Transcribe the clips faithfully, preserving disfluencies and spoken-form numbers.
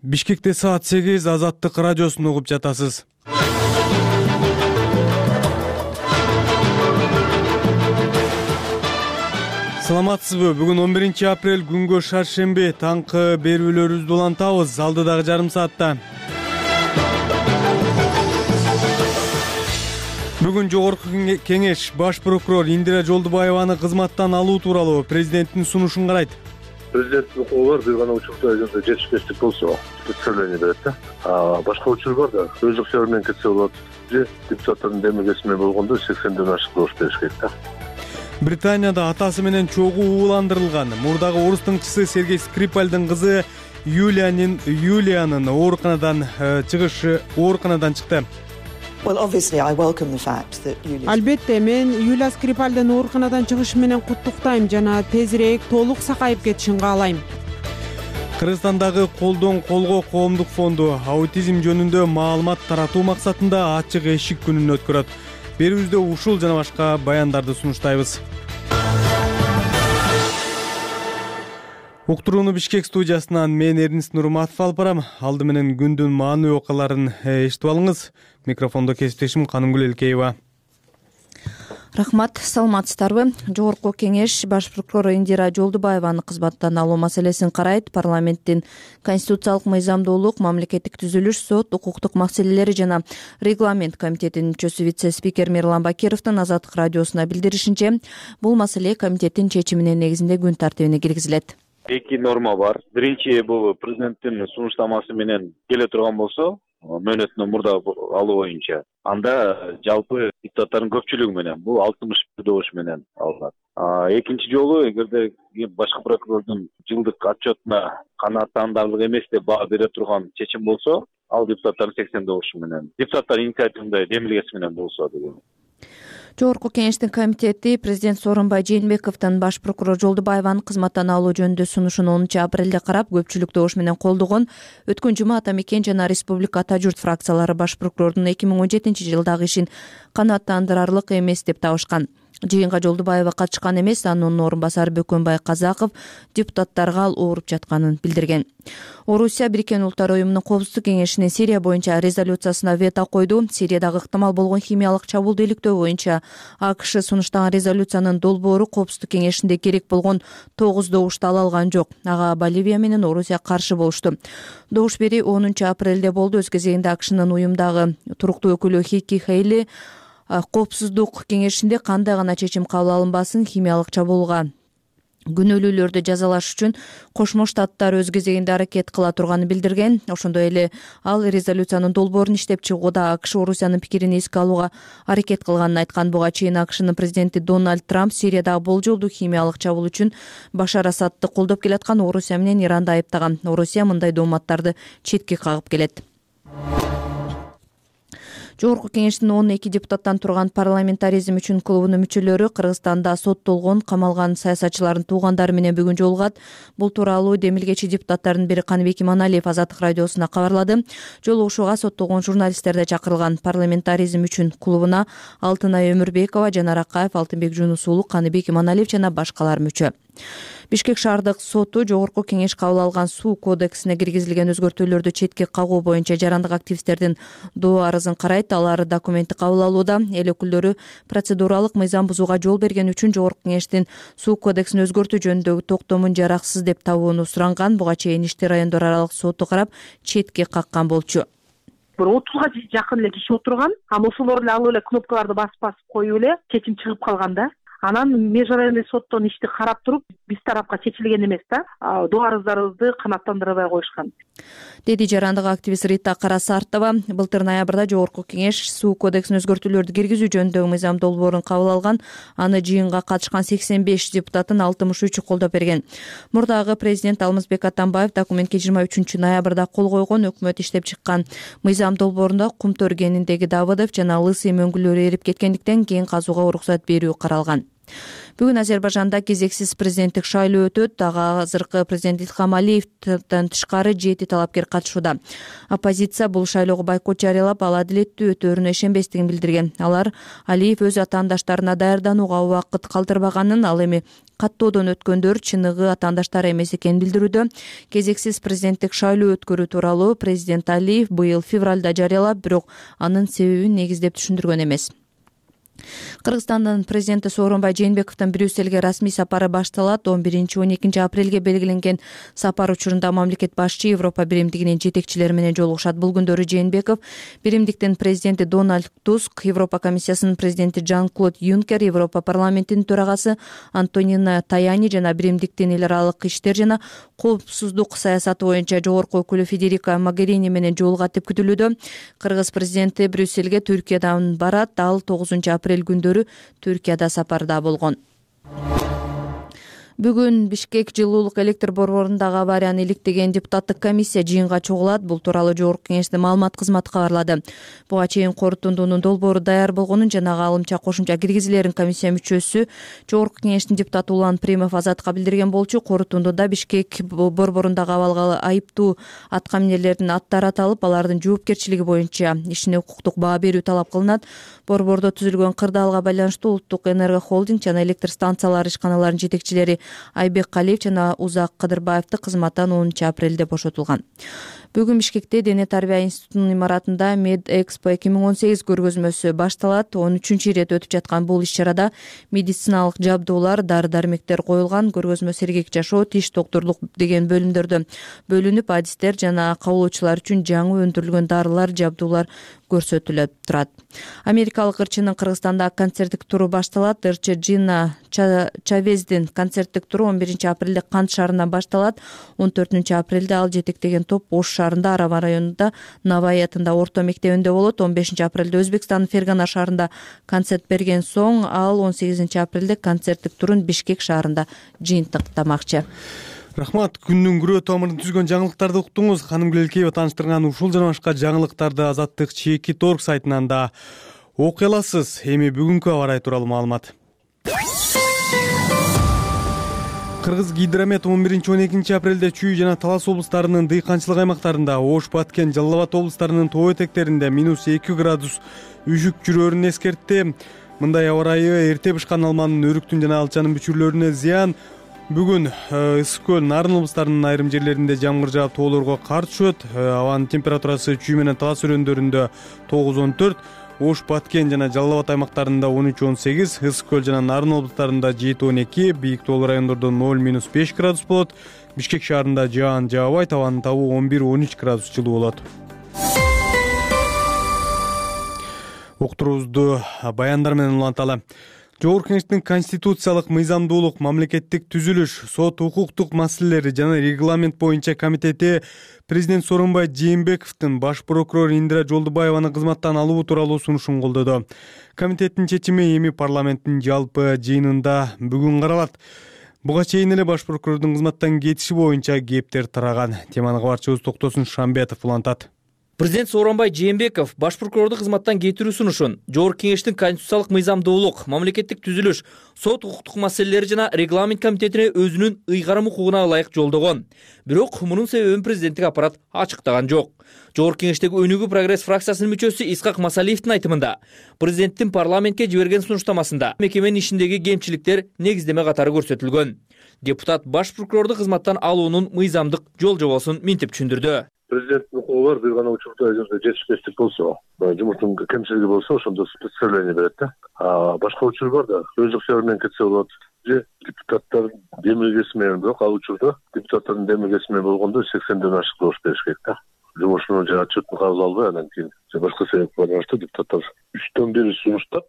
Бишкекте саат сегиз, Азаттык радиосун угуп жатасыз. Саламатсызбы? Бүгүн он биринчи апрель, күнгө шаршемби. Таңкы берүүлөрүбүздү улантабыз алдыдагы жарым саатта. Бүгүн Жогорку Кеңеш баш прокурор Индира Жолдубаеваны кызматтан алуу тууралуу президенттин сунушун карайт. Президенттин колу бар, бир гана учурда эгерде жетишпештик болсо представление берет да. А башка учур бар да, өз ыкчары менен кетсе болот. Же депутаттардын демилгеси менен болгондо сексенден ашык добуш бериш керек да. Британияда атасы менен чогуу ууландырылган мурдагы орус тыңчысы Сергей Скрипальдын кызы Юлиянын Юлиянын ооруканадан чыгышы ооруканадан чыкты. Албетте, мен Юлия Скрипальдын ооруканадан чыгышы менен куттуктайм жана тезирээк толук сакайып кетишин каалайм. Кыргызстандагы колдон колго коомдук фонду аутизм жөнүндө маалымат таратуу максатында ачык эшик күнүн өткөрөт. Берүүбүздө ушул жана башка баяндарды сунуштайбыз. Уктурууну Бишкек студиясынан мен Эрнис Нурматов алып барам. Алды менен күндүн маанилүү окуяларын эшитип алыңыз. Микрофондо кесиптешим Канымгүл Элкеева. Рахмат, саламатсыздарбы? Жогорку Кеңеш баш прокурор Индира Жолдубаеваны кызматтан алуу маселесин карайт. Парламенттин конституциялык мыйзамдуулук, мамлекеттик түзүлүш, сот, укуктук маселелери жана регламент комитетинин мүчөсү вице-спикер Мирлан Бакировдун Азаттык радиосуна билдиришинче, бул маселе комитеттин чечиминин негизинде күн тартибине киргизилет. Эки норма бар. Биринчи, бул президенттин сунуштамасы менен келе турган болсо, мөөнөтүнөн мурда алуу боюнча, анда жалпы депутаттардын көпчүлүгү менен, бул алтымыш бир добуш менен алынат. Экинчи жолу, эгерде башкы прокурордун жылдык отчетуна канааттандарлык эмес деп баа бере турган чечим болсо, ал депутаттардын сексен добушу менен, депутаттар инициативында демилгеси менен болсо деген. Жогорку Кеңештин комитети президент Сооронбай Жээнбековдун баш прокурор Жолдубаеваны кызматтан алуу жөнүндө сунушун онунчу апрелде карап, көпчүлүк добуш менен колдогон. Өткөн жума Ата Мекен жана Республика Ата Журт фракциялары баш прокурордун эки миң он жетинчи жылдагы ишин канааттандырарлык эмес деп табышкан. Жыйынга Жолдубаева катышкан эмес, анын орун басары Бөкөнбай Казаков депутаттарга ал ооруп жатканын билдирген. Орусия Бириккен Улуттар Уюмунун Коопсуздук кеңешинин Сирия боюнча резолюциясына вето койду. Сириядагы ыктымал болгон химиялык чабуулду иликтөө боюнча АКШ сунуштаган резолюциянын долбоору Коопсуздук кеңешинде керек болгон тогуз добушту ала алган жок. Ага Боливия менен Орусия каршы болушту. Добуш бери онунчу апрелде болду. Өз кезегинде АКШнын уюмдагы туруктуу өкүлү Хики Хейли Коопсуздук кеңешинде кандай гана чечим кабыл алынбасын, химиялык чабуулга күнөөлүүлөрдү жазалаш үчүн Кошмо Штаттар өз кезегинде аракет кыла турганын билдирген. Ошондой эле ал резолюциянын долбоорун иштеп чыгууда АКШ Орусиянын пикирин эске алууга аракет кылганын айткан. Буга чейин АКШнын президенти Дональд Трамп Сириядагы болжолдуу химиялык чабуул үчүн Башар Асадты колдоп келаткан Орусия менен Иранды айыптаган. Орусия мындай дооматтарды четке кагып келет. Жогорку Кеңештин он эки депутаттан турган парламентаризм үчүн клубунун мүчөлөрү Кыргызстанда соттолгон, камалган саясатчылардын туугандары менен бүгүн жолугат. Бул тууралуу демилгечи депутаттардын бири Каныбек Иманалиев Азаттык радиосуна кабарлады. Жолугушууга соттолгон журналисттер да чакырылган. Парламентаризм үчүн клубуна Алтынай Өмүрбекова, Жанар Акаев, Алтынбек Жунус уулу, Каныбек Иманалиев жана башкалар мүчө. Бишкек шаардык соту Жогорку Кеңеш кабыл алган суу кодексине киргизилген өзгөртүүлөрдү четке кагуу боюнча жарандык активисттердин доо арызын карайт. Алар документти кабыл алууда. Эл өкүлдөрү процедуралык мыйзам бузууга жол берген үчүн Жогорку Кеңештин суу кодексин өзгөртүү жөнүндөгү токтомун жараксыз деп табууну суранган. Буга чейин ишти райондор аралык соту карап четке каккан болчу. Бир отузга жакын эле киши отурган. Аны ошолор эле алып эле кнопкаларды басып басып коюп эле чечим чыгып калган да. Анан межрайонный соттон ишти карап туруп, биз тарапка чечилген эмес да, доо арыздарыбызды канааттандырбай коюшкан, деди жарандык активист Рита Карасартова. Былтыр ноябрда Жогорку Кеңеш суу кодексин өзгөртүүлөрдү киргизүү жөнүндөгү мыйзам долбоорун кабыл алган. Аны жыйынга катышкан сексен беш депутаттын алтымыш үчү колдоп берген. Мурдагы президент Алмазбек Атамбаев документке жыйырма үчүнчү ноябрда кол койгон. Өкмөт иштеп чыккан мыйзам долбоорунда Кумтөр кениндеги Давыдов жана Лысый мөңгүлөрү эрип кеткендиктен кен казууга уруксат берүү каралган. Бүгүн Азербайжанда кезексиз президенттик шайлоо өтөт. Ага азыркы президент Илхам Алиевден тышкары жети талапкер катышууда. Оппозиция бул шайлоого бойкот жарыялап, ал адилеттүү өтөөрүнө ишенбестигин билдирген. Алар Алиев өз атаандаштарына даярданууга убакыт калтырбаганын, ал эми каттоодон өткөндөр чыныгы атаандаштары эмес экенин билдирүүдө. Кезексиз президенттик шайлоо өткөрүү тууралуу президент Алиев быйыл февралда жарыялап, бирок анын себебин негиздеп түшүндүргөн эмес. Кыргызстандын президенти Сооронбай Жээнбековдун Брюссельге расмий сапары башталат. он биринчи он экинчи апрелге белгиленген сапар учурунда мамлекет башчы Европа биримдигинин жетекчилери менен жолугушат. Бул күндөрү Жээнбеков биримдиктин президенти Дональд Туск, Европа комиссиясынын президенти Жан-Клод Юнкер, Европа парламентинин төрагасы Антонино Таяни жана биримдиктин эл аралык иштер жана коопсуздук саясаты боюнча жогорку өкүлү Федерика Могерини менен жолугат деп күтүлүүдө. Кыргыз президенти Брюссельге Түркиядан барат. Ал тогузунчу апрель күндөрү Түркияда сапарда болгон. Бүгүн Бишкек жылуулук электр борборундагы аварияны иликтеген депутаттык комиссия жыйынга чогулат. Бул тууралуу жогорку кеңештин маалымат кызматы кабарлады. Буга чейин корутундунун долбоору даяр болгонун жана алымча кошумча киргизилерин комиссия мүчөсү жогорку кеңештин депутаты Улан Примов Азатка билдирген болчу. Корутундуда Бишкек борборундагы абалга айыптуу аткаминерлердин аттары аталып, алардын жоопкерчилиги боюнча ишине укуктук баа берүү талап кылынат. Борбордо түзүлгөн кырдаалга байланыштуу Улуттук энерго холдинг жана электр станциялары ишканаларынын жетекчилери Айбек Калиев жана Узак Кыдырбаевди кызматтан онунчу апрелде бошотулган. Бүгүн Бишкекте Дене тарбия институтунун имаратында Med Expo эки миң он сегиз көргөзмөсү башталат. он үчүнчү ирет өтүп жаткан бул иш-чарада медициналык жабдуулар, дары-дармектер коюлган. Көргөзмө сергек жашоо, тиш доктурлук деген бөлүмдөрдө бөлүнүп, адистер жана кабылуучулар үчүн жаңы өндүрүлгөн дарылар, жабдуулар көрсөтүлүп турат. Америкалык ырчынын Кыргызстанда концерттик туру башталат. Ырчы Джина Чавездин концерттик туру он биринчи апрелде Кант шаарынан башталат. он төртүнчү апрелде ал жетектеген топ Ош шаарында, Арава районунда Навай атында орто мектебинде болот. он бешинчи апрелде Өзбекстандын Фергана шаарында концерт берген соң, ал он сегизинчи апрелде концерттик турун Бишкек шаарында жыйынтыктамакчы. Рахмат. Күндүн күрөө тамырын түзгөн жаңылыктарды уктуңуз. Ханым Гүлелкеева тааныштырган ушул жана башка жаңылыктарды Азаттык чеки торг сайтынан да окуй аласыз. Эми бүгүнкү аба ырайы тууралуу маалымат. Кыргыз Гидромет он биринчи он экинчи апрелде Чүй жана Талас облустарынын дыйканчылык аймактарында, Ош, Баткен, Жалал Абад облустарынын тоо этектеринде минус эки градус үшүк жүрөөрүн эскертти. Мындай аба ырайы эрте бышкан алманын, өрүктүн жана алчанын бүчүрлөрүнө зыян. Бүгүн Ысык көл, Нарын облустарынын айрым жерлеринде жамгыр жаап, тоолорго кар түшөт. Абанын температурасы Чүй менен Талас өрөөндөрүндө тогуз он төрт, Ош, Баткен жана Жалал Абад аймактарында он үч он сегиз, Ысык көл жана Нарын облустарында жети он эки, бийик тоолуу райондордо ноль минус беш градус болот. Бишкек шаарында жаан жаабайт, абанын табуу он бир он үч градус жылуу болот. Уктуруубузду баяндар менен уланталы. Жогорку кеңештин конституциялык мыйзамдуулук, мамлекеттик түзүлүш, сот укуктук маселелери жана регламент боюнча комитети президент Сооронбай Жээнбековдун баш прокурор Индира Жолдубаеваны кызматтан алуу тууралуу сунушун колдоду. Комитеттин чечими эми парламенттин жалпы жыйынында бүгүн каралат. Буга чейин эле баш прокурордун кызматтан кетиши боюнча кептер тараган. Теманы кабарчыбыз Токтосун Шамбетов улантат. Президент Сооронбай Жээнбеков баш прокурорду кызматтан кетирүү сунушун Жогорку кеңештин конституциялык мыйзамдуулук, мамлекеттик түзүлүш, сот укуктук маселелери жана регламент комитетине өзүнүн ыйгарым укугуна ылайык жолдогон. Бирок мунун себебин президенттик аппарат ачыктаган жок. Жогорку кеңештеги Өнүгүү прогресс фракциясынын мүчөсү Исхак Масалиевдин айтымында, президенттин парламентке жиберген сунуштамасында мекеменин ишиндеги кемчиликтер негиздеме катары көрсөтүлгөн. Депутат баш прокурорду кызматтан алуунун мыйзамдык жол жобосун минтип түшүндүрдү. Президенттин укугу бар, бир гана учурда эгерде жетишпештик болсо, жумуштун кемчилиги болсо, ошондо представление берет да. А башка учур бар да, өздүк себеби менен кетсе болот. Же депутаттар демилгеси менен, бирок ал учурда депутаттардын демилгеси менен болгондо сексенден ашык добуш бериш керек да. Жумушунун же отчетун кабыл албай, анан кийин башка себепке байланыштуу депутаттар үчтөн бири сунуштап,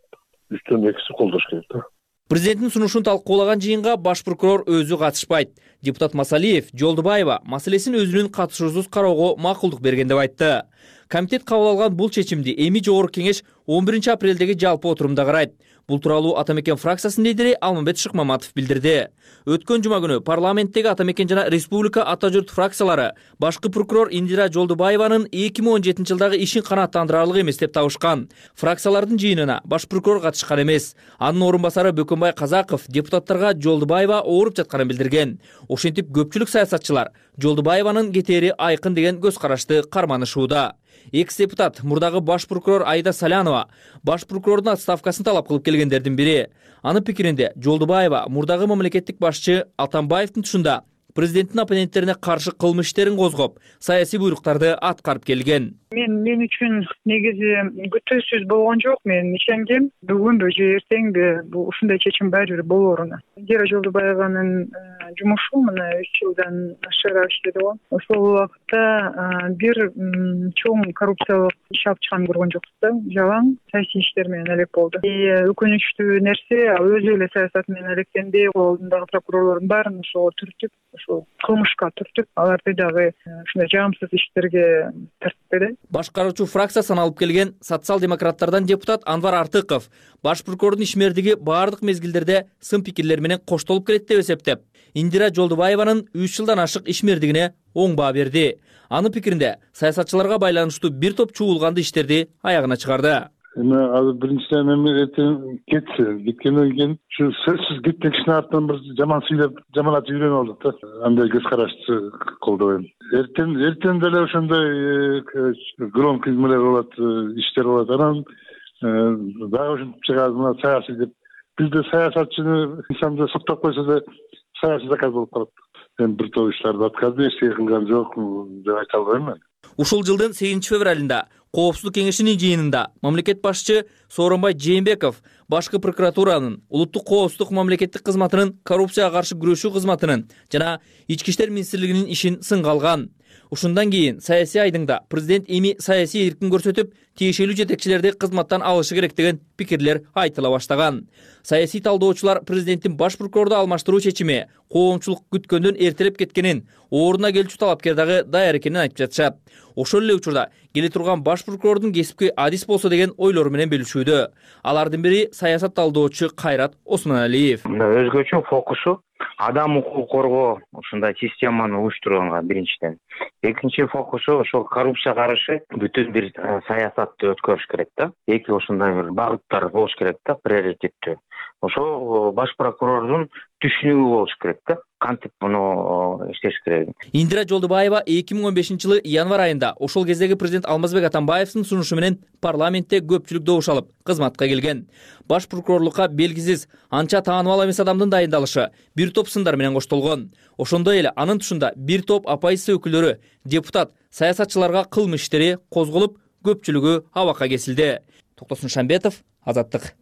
үчтөн экиси колдош керек да. Президенттин сунушун талкуулаган жыйынга баш прокурор өзү катышпайт. Депутат Масалиев Жолдубаева маселесин өзүнүн катышуусуз кароого макулдук берген деп айтты. Комитет кабыл алган бул чечимди эми Жогорку кеңеш он биринчи апрелдеги жалпы отурумда карайт. Бул тууралуу Ата Мекен фракциясынын лидери Алмамбет Шыкмаматов билдирди. Өткөн жума күнү парламенттеги Ата Мекен жана Республика Ата Журт фракциялары башкы прокурор Индира Жолдубаеванын эки миң он жетинчи жылдагы ишин канааттандырарлык эмес деп табышкан. Фракциялардын жыйынына баш прокурор катышкан эмес. Анын орун басары Бөкөнбай Казаков депутаттарга Жолдубаева ооруп жатканын билдирген. Ошентип көпчүлүк саясатчылар Жолдубаеванын кетери айкын деген көз карашты карманышууда. экс депутат мурдагы баш прокурор Айда Салянова баш прокурордун отставкасын талап кылып келгендердин бири. Анын пикиринде Жолдубаева мурдагы мамлекеттик башчы Атамбаевдин тушунда президенттин оппоненттерине каршы кылмыш иштерин козгоп, саясий буйруктарды аткарып келген. Мен мен үчүн негизи күтүүсүз болгон жок. Мен ишенгем, бүгүнбү же эртеңби бул ушундай чечим баары бир болоруна. Индира Жолдубаеванын жумушу мына үч жылдан ашыгыраак иштеди го. Ошол убакта бир чоң коррупциялык иш алып чыган көргөн жокпуз да. Жалаң саясий иштер менен алек болду. Өкүнүчтүү нерсе, өзү эле саясат менен алектенбей, колундагы прокурорлордун баарын ошого түртүп, ошол кылмышка түртүп, аларды дагы ушундай жагымсыз иштерге тартпады. Башкаруучу фракция саналып келген социал-демократтардан депутат Анвар Артыков баш прокурордун ишмердиги баардык мезгилдерде сын пикирлер менен коштолуп келет деп эсептеп, Индира Жолдубаеванын үч жылдан ашык ишмердигине оң баа берди. Анын пикиринде саясатчыларга байланыштуу бир топ чуулганды иштерди аягына чыгарды. Эми азыр биринчиден эми эртең кетси, кеткенден кийин ушу сөзсүз кеткен кишинин артынан бир жаман сүйлөп, жаман атып жүргөн болдук да. Андай көз карашты колдобойм. Эртең эртең деле ошондой громкий эмелер болот, иштер болот. Анан дагы ушинтип чыгат, мына саясий деп. Бизде саясатчыны инсанды соктоп койсо да саясий заказ болуп калат. Эми бир топ иштерди аткарды, эчтеке кылган жок деп айта албайм мен. Ушул жылдын сегизинчи февралында Коопсуздук кеңешинин жыйынында мамлекет башчы Сооронбай Жээнбеков башкы прокуратуранын, улуттук коопсуздук мамлекеттик кызматынын, коррупцияга каршы күрөшүү кызматынын жана ички иштер министрлигинин ишин сынга алган. Ушундан кийин саясий айдыңда президент эми саясий эркин көрсөтүп, тиешелүү жетекчилерди кызматтан алышы керек деген пикирлер айтыла баштаган. Саясий талдоочулар президенттин баш прокурорду алмаштыруу чечими коомчулук күткөндөн эртелеп кеткенин, ордуна келчү талапкер дагы даяр экенин айтып жатышат. Ошол эле учурда келе турган баш прокурордун кесипки адис болсо деген ойлору менен бөлүшүүдө. Алардын бири саясат талдоочу Кайрат Осмоналиев. Өзгөчө фокусу адам укугун коргоо ушундай системаны уюштурганга биринчиден. Экинчи фокусу ошол коррупцияга каршы бүтүн бир саясатты өткөрүш керек да. Эки ушундай бир багыттар болуш керек да, приоритеттүү. Ошол баш прокурордун түшүнүгү болуш керек да. Кантип муну иштеш керек. Индира Жолдубаева эки миң он бешинчи жылы январь айында ошол кездеги президент Алмазбек Атамбаевдин сунушу менен парламентте көпчүлүк добуш алып кызматка келген. Баш прокурорлукка белгисиз, анча тааныбал эмес адамдын дайындалышы бир топ сындар менен коштолгон. Ошондой эле анын тушунда бир топ оппозиция өкүлдөрү, депутат, саясатчыларга кылмыш иштери козголуп, көпчүлүгү абакка кесилди. Токтосун Шамбетов, Азаттык.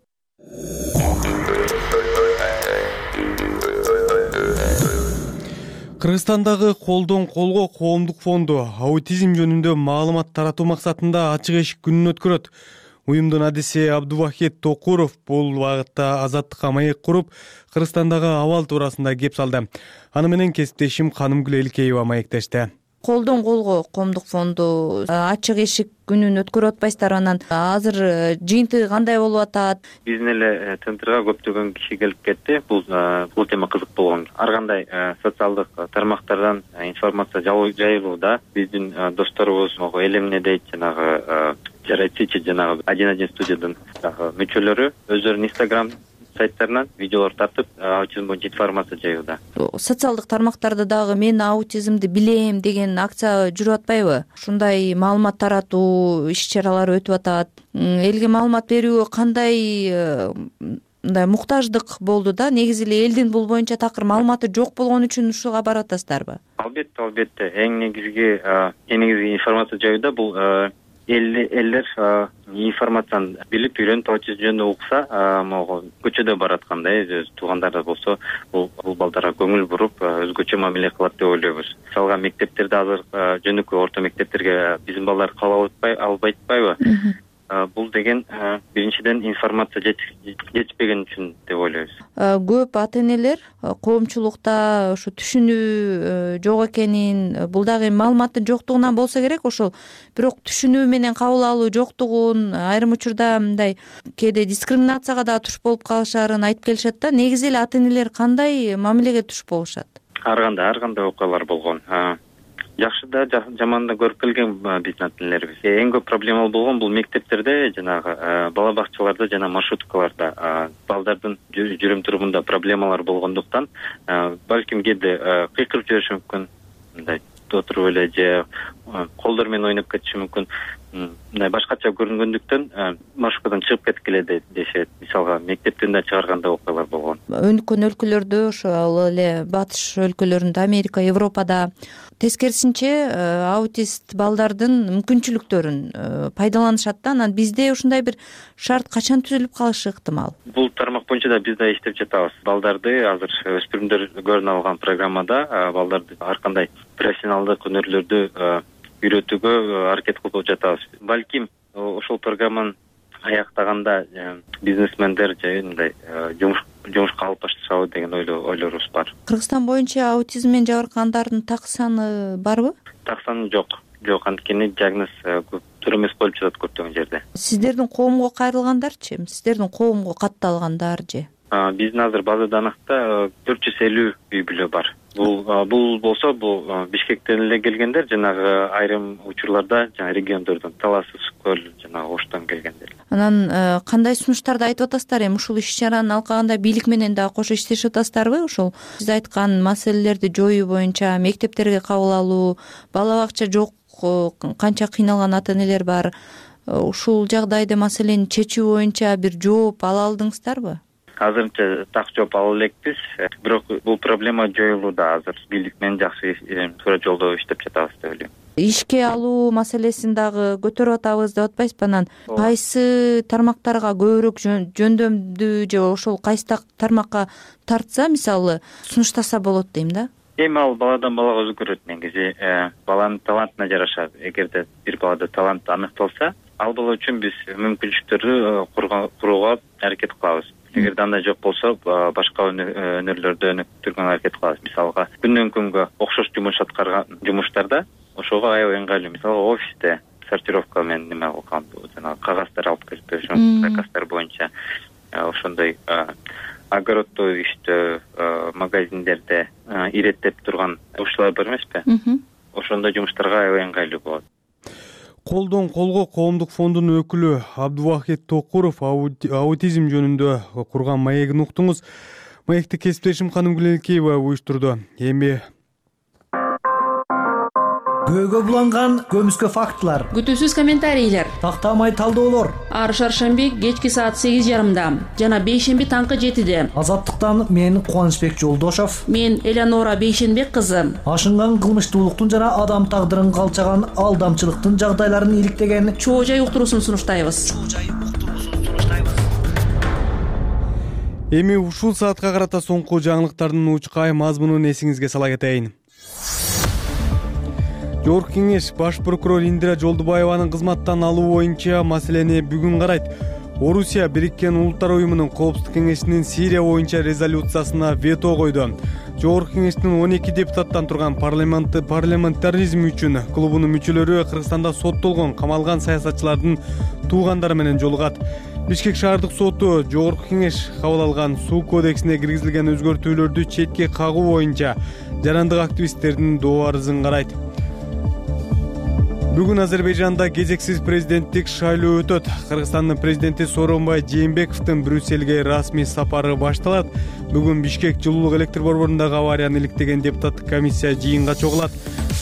Кыргызстандагы колдон колго коомдук фонду аутизм жөнүндө маалымат таратуу максатында ачык эшик күнүн өткөрөт. Уюмдун адиси Абдувахит Токуров бул багытта Азаттыкка маек куруп, Кыргызстандагы абал туурасында кеп салды. Аны менен кесиптешим Канымгүл Элкеева маектешти. Колдон колго коомдук фонду ачык эшик күнүн өткөрүп атпайсыздарбы? Анан азыр жыйынтыгы кандай болуп атат? Биздин эле центрга көптөгөн киши келип кетти. Бул бул тема кызык болгон. Ар кандай социалдык тармактардан информация жайылууда биздин досторубуз могу эл эмне дейт жанагы жарайчы жанагы один один студиядан мүчөлөрү өздөрүнүн Instagram сайттарынан видеолор тартып, аутизм боюнча информация жайууда. Социалдык тармактарда дагы мен аутизмди билем деген акция жүрүп атпайбы? Ушундай маалымат таратуу иш-чаралары өтүп атат. Элге маалымат берүүгө кандай мындай муктаждык болду да? Негизи эле элдин бул боюнча такыр маалыматы жок болгон үчүн ушуга барып атасыздарбы? Албетте, албетте. Эң негизги, эң негизги информация жайууда бул элдер информацияны билип, үйрөнүп, аутизм жөнүндө укса, могу көчөдө бараткандай, өз туугандар болсо, бул балдарга көңүл буруп, өзгөчө мамиле кылат деп ойлойбуз. Мисалга мектептерде азыр жөнөкөй орто мектептерге биздин балдар кабыл албай атпайбы? Бул деген биринчиден информация жетишпеген үчүн деп ойлойбуз. Көп ата-энелер коомчулукта ошо түшүнүү жок экенин, бул дагы маалыматтын жоктугунан болсо керек, ошол бирок түшүнүү менен кабыл алуу жоктугун, айрым учурда мындай кээде дискриминацияга да туш болуп калышарын айтып келишет да. Негизи эле ата-энелер кандай мамилеге туш болушат? Ар кандай, ар кандай окуялар болгон. Жакшы да, жаман да көрүп келген биздин ата-энелерибиз. Эң көп проблема болгон бул мектептерде, жанагы бала бакчаларда жана маршруткаларда балдардын жүрүм турумунда проблемалар болгондуктан, балким кээде кыйкырып жибериши мүмкүн, мындай отуруп эле же колдор менен ойноп кетиши мүмкүн. мындай башкача көрүнгөндүктөн маршруткадан чыгып кеткиле дешет. Мисалга мектептен да чыгаргандай окуялар болгон. Өнүккөн өлкөлөрдө ошол эле батыш өлкөлөрүндө, Америка, Европада тескерисинче аутист балдардын мүмкүнчүлүктөрүн пайдаланышат да. Анан бизде ушундай бир шарт качан түзүлүп калышы ыктымал? Бул тармак боюнча да биз да иштеп жатабыз. Балдарды азыр өспүрүмдөр көрүнө алган программада балдарды ар кандай профессионалдык өнөрлөрдү үйрөтүүгө аракет кылып жатабыз. Балким ошол программаны аяктаганда бизнесмендер же мындай жумуш жумушка алып башташабы деген ойлорубуз бар. Кыргызстан боюнча аутизм менен жабыркагандардын так саны барбы? Так саны жок. Жок, анткени диагноз көптөр эмес болуп жатат көптөгөн жерде. Сиздердин коомго кайрылгандарчы? Сиздердин коомго катталгандар же? Биздин азыр база даныкта төрт жүз элүү үй бүлө бар. Бул бул болсо бул Бишкектен эле келгендер, жанагы айрым учурларда жана региондордон, Талас Көл жана Оштон келгендер. Анан кандай сунуштарды айтып атасыздар? Эми ушул иш-чараны алкаганда бийлик менен да кошо иштешип атасыздарбы? Ошол сиз айткан маселелерди жоюу боюнча мектептерге кабыл алуу, бала бакча жок, канча кыйналган ата энелер бар. Ушул жагдайда маселени чечүү боюнча бир жооп ала алдыңыздарбы? Азырынча так жооп ала элекпиз, бирок бул проблема жоюлууда. Азыр бийлик менен жакшы туура жолдо иштеп жатабыз деп ойлойм. Ишке алуу маселесин дагы көтөрүп атабыз деп атпайсызбы? Анан кайсы тармактарга көбүрөөк жөндөмдүү же ошол кайсы тармакка тартса, мисалы, сунуштаса болот дейм да. Эми ал баладан балага өзгөрөт негизи. Баланын талантына жараша. Эгерде бир балада талант аныкталса, ал бала үчүн биз мүмкүнчүлүктөрдү курууга аракет кылабыз. Эгерде андай жок болсо, башка өнөрлөрдө өнүктүргөнгө аракет кылабыз. Мисалга, күндөн күнгө окшош жумуш аткарган жумуштарда ошого аябай ыңгайлуу. Мисалга, офисте сортировка менен неме кылган, жанагы кагаздар алып келип беришем, заказдар боюнча. Ошондой огороддо иштөө, магазиндерде иреттеп турган ушулар бар эмеспи? Ошондой жумуштарга аябай ыңгайлуу болот. Колдон колго коомдук фондунун өкүлү Абдубакит Токуров аутизм жөнүндө курган маегин уктуңуз. Маекти кесиптешим Ханым Гүленкеева уюштурду. Эми көөгө буланган көмүскө фактылар, күтүүсүз комментарийлер, тактамай талдоолор. Ар шаршемби кечки саат сегиз жарымда жана бейшемби таңкы жетиде. Азаттыктан мен Кубанычбек Жолдошов, мен Элеонора Бейшенбек кызы. Ашынган кылмыштуулуктун жана адам тагдырын калчаган алдамчылыктын жагдайларын иликтеген чоо жай уктуруусун сунуштайбыз. Эми ушул саатка карата соңку жаңылыктардын учкай мазмунун эсиңизге сала кетейин. Жогорку кеңеш баш прокурор Индира Жолдубаеванын кызматтан алуу боюнча маселени бүгүн карайт. Орусия Бириккен Улуттар уюмунун коопсуздук кеңешинин Сирия боюнча резолюциясына вето койду. Жогорку кеңештин он эки депутаттан турган парламентаризм үчүн клубунун мүчөлөрү Кыргызстанда соттолгон, камалган саясатчылардын туугандары менен жолугат. Бишкек шаардык соту Жогорку кеңеш кабыл алган суу кодексине киргизилген өзгөртүүлөрдү четке кагуу боюнча жарандык активисттердин доо арызын карайт. Бүгүн Азербайжанда кезексиз президенттик шайлоо өтөт. Кыргызстандын президенти Сооронбай Жээнбековдун Брюссельге расмий сапары башталат. Бүгүн Бишкек жылуулук электр борборундагы аварияны иликтеген депутаттык комиссия жыйынга чогулат.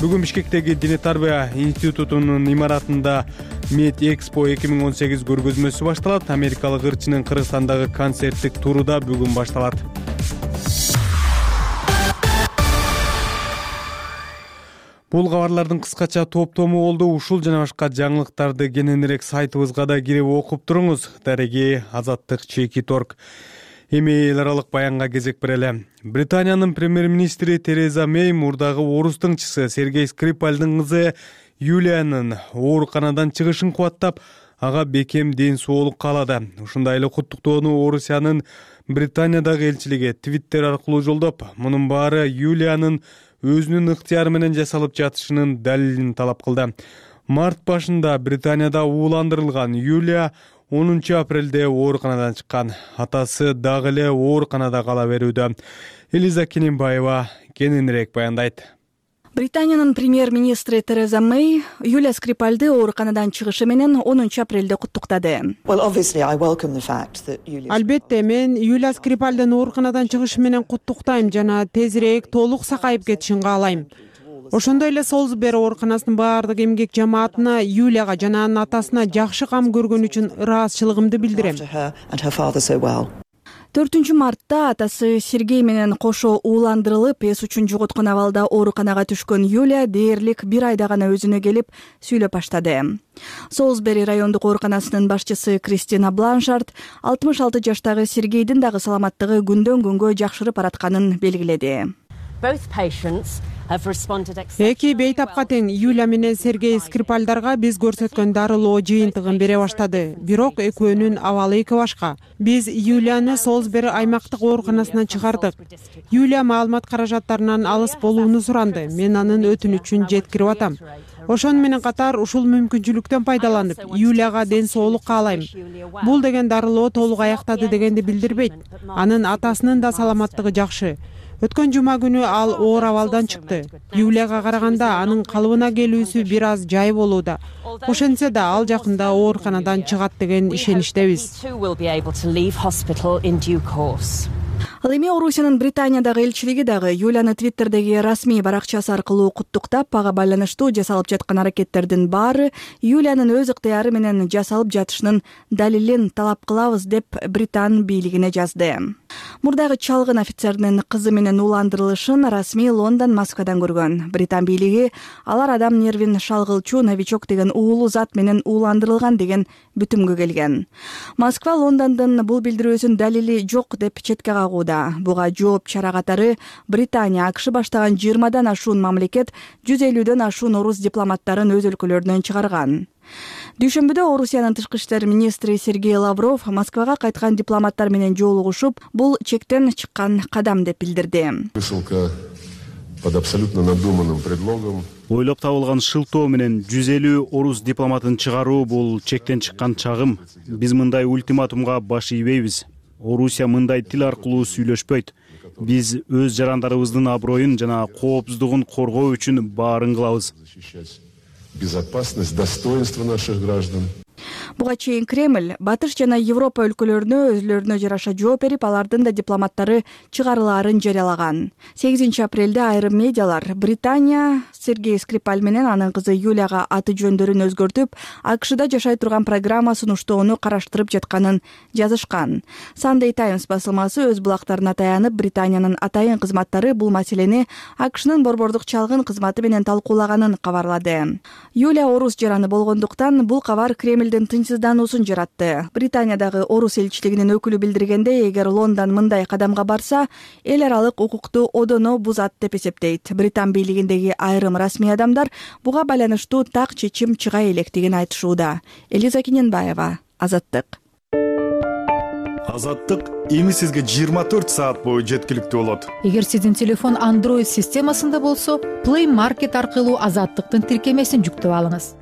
Бүгүн Бишкектеги Диний тарбия институтунун имаратында Мед Экспо эки миң он сегиз көргөзмөсү башталат. Америкалык ырчынын Кыргызстандагы концерттик туру да бүгүн башталат. Бул кабарлардын кыскача топтому болду. Ушул жана башка жаңылыктарды кененирээк сайтыбызга да кирип окуп туруңуз. Дареги Азаттык Чеки Торг. Эми эл аралык баянга кезек берели. Британиянын премьер-министри Тереза Мэй мурдагы орус тыңчысы Сергей Скрипальдын кызы Юлиянын ооруканадан чыгышын кубаттап, ага бекем ден соолук каалады. Ушундай эле куттуктоону Орусиянын Британиядагы элчилиги Твиттер аркылуу жолдоп, мунун баары Юлиянын өзүнүн ыктыяры менен жасалып жатышынын далилин талап кылды. Март башында Британияда ууландырылган Юлия онунчу апрелде ооруканадан чыккан. Атасы дагы эле ооруканада кала берүүдө. Элиза Кененбаева кененирээк баяндайт. Британиянын премьер-министри Тереза Мэй Юлия Скрипальды ооруканадан чыгышы менен онунчу апрелде куттуктады. Албетте, мен Юлия Скрипальдын ооруканадан чыгышы менен куттуктайм жана тезирээк толук сакайып кетишин каалайм. Ошондой эле Солсбери ооруканасынын баардык эмгек жамаатына, Юлияга жана анын атасына жакшы кам көргөн үчүн ыраазычылыгымды билдирем. төртүнчү мартта атасы Сергей менен кошо ууландырылып, эс учун жоготкон абалда ооруканага түшкөн Юлия дээрлик бир айда гана өзүнө келип сүйлөп баштады. Солсбери райондук ооруканасынын башчысы Кристина Бланшард алтымыш алты жаштагы Сергейдин дагы саламаттыгы күндөн күнгө жакшырып баратканын белгиледи. Эки бейтапка тең Юлия менен Сергей Скрипальдарга биз көрсөткөн дарылоо жыйынтыгын бере баштады. Бирок экөөнүн абалы эки башка. Биз Юлияны Солсбери аймактык ооруканасынан чыгардык. Юлия маалымат каражаттарынан алыс болууну суранды. Мен анын өтүнүчүн жеткирип атам. Ошону менен катар ушул мүмкүнчүлүктөн пайдаланып, Юлияга ден соолук каалайм. Бул деген дарылоо толук аяктады дегенди билдирбейт. Анын атасынын да саламаттыгы жакшы. Өткөн жума күнү ал оор абалдан чыкты. Юлияга караганда анын калыбына келүүсү бир аз жай болууда. Ошентсе да ал жакында ооруканадан чыгат деген ишеничтебиз. Ал эми Орусиянын Британиядагы элчилиги дагы Юлияны Твиттердеги расмий баракчасы аркылуу куттуктап, ага байланыштуу жасалып жаткан аракеттердин баары Юлиянын өз ыктыяры менен жасалып жатышынын далилин талап кылабыз деп Британ бийлигине жазды. Мурдагы чалгын офицердин кызы менен ууландырылышын расмий Лондон Москвадан көргөн. Британ бийлиги алар адам нервин шалгылчу новичок деген уулуу зат менен ууландырылган деген бүтүмгө келген. Москва Лондондун бул билдирүүсүн далили жок деп четке кагууда. Буга жооп чара катары Британия, АКШ баштаган жыйырмадан ашуун мамлекет жүз элүүдөн ашуун орус дипломаттарын өз өлкөлөрүнөн чыгарган. Дүйшөмбүдө Орусиянын тышкы иштер министри Сергей Лавров Москвага кайткан дипломаттар менен жолугушуп, бул чектен чыккан кадам деп билдирди. Под абсолютно надуманным предлогом. Ойлоп табылган шылтоо менен жүз элүү орус дипломатын чыгаруу бул чектен чыккан чагым. Биз мындай ультиматумга баш ийбейбиз. Орусия мындай тил аркылуу сүйлөшпөйт. Биз өз жарандарыбыздын аброюн жана коопсуздугун коргоо үчүн баарын кылабыз. Безопасность, достоинство наших граждан. Буга чейин Кремль Батыш жана Европа өлкөлөрүнө өзлөрүнө жараша жооп берип, алардын да дипломаттары чыгарылаарын жарыялаган. сегизинчи апрелде айрым медиалар Британия Сергей Скрипаль менен анын кызы Юлияга аты жөндөрүн өзгөртүп, АКШда жашай турган программа сунуштоону караштырып жатканын жазышкан. Sunday Times басылмасы өз булактарына таянып, Британиянын атайын кызматтары бул маселени АКШнын борбордук чалгын кызматы менен талкуулаганын кабарлады. Юлия орус жараны болгондуктан бул кабар Кремлдин тынчсыздануусун жаратты. Британиядагы орус элчилигинин өкүлү билдиргендей, эгер Лондон мындай кадамга барса, эл аралык укукту одоно бузат деп эсептейт. Британ бийлигиндеги айрым расмий адамдар буга байланыштуу так чечим чыга электигин айтышууда. Элиза Кененбаева, Азаттык. Азаттык эми сизге жыйырма төрт саат бою жеткиликтүү болот. Эгер сиздин телефон Android системасында болсо, Play Market аркылуу Азаттыктын тиркемесин жүктөп алыңыз.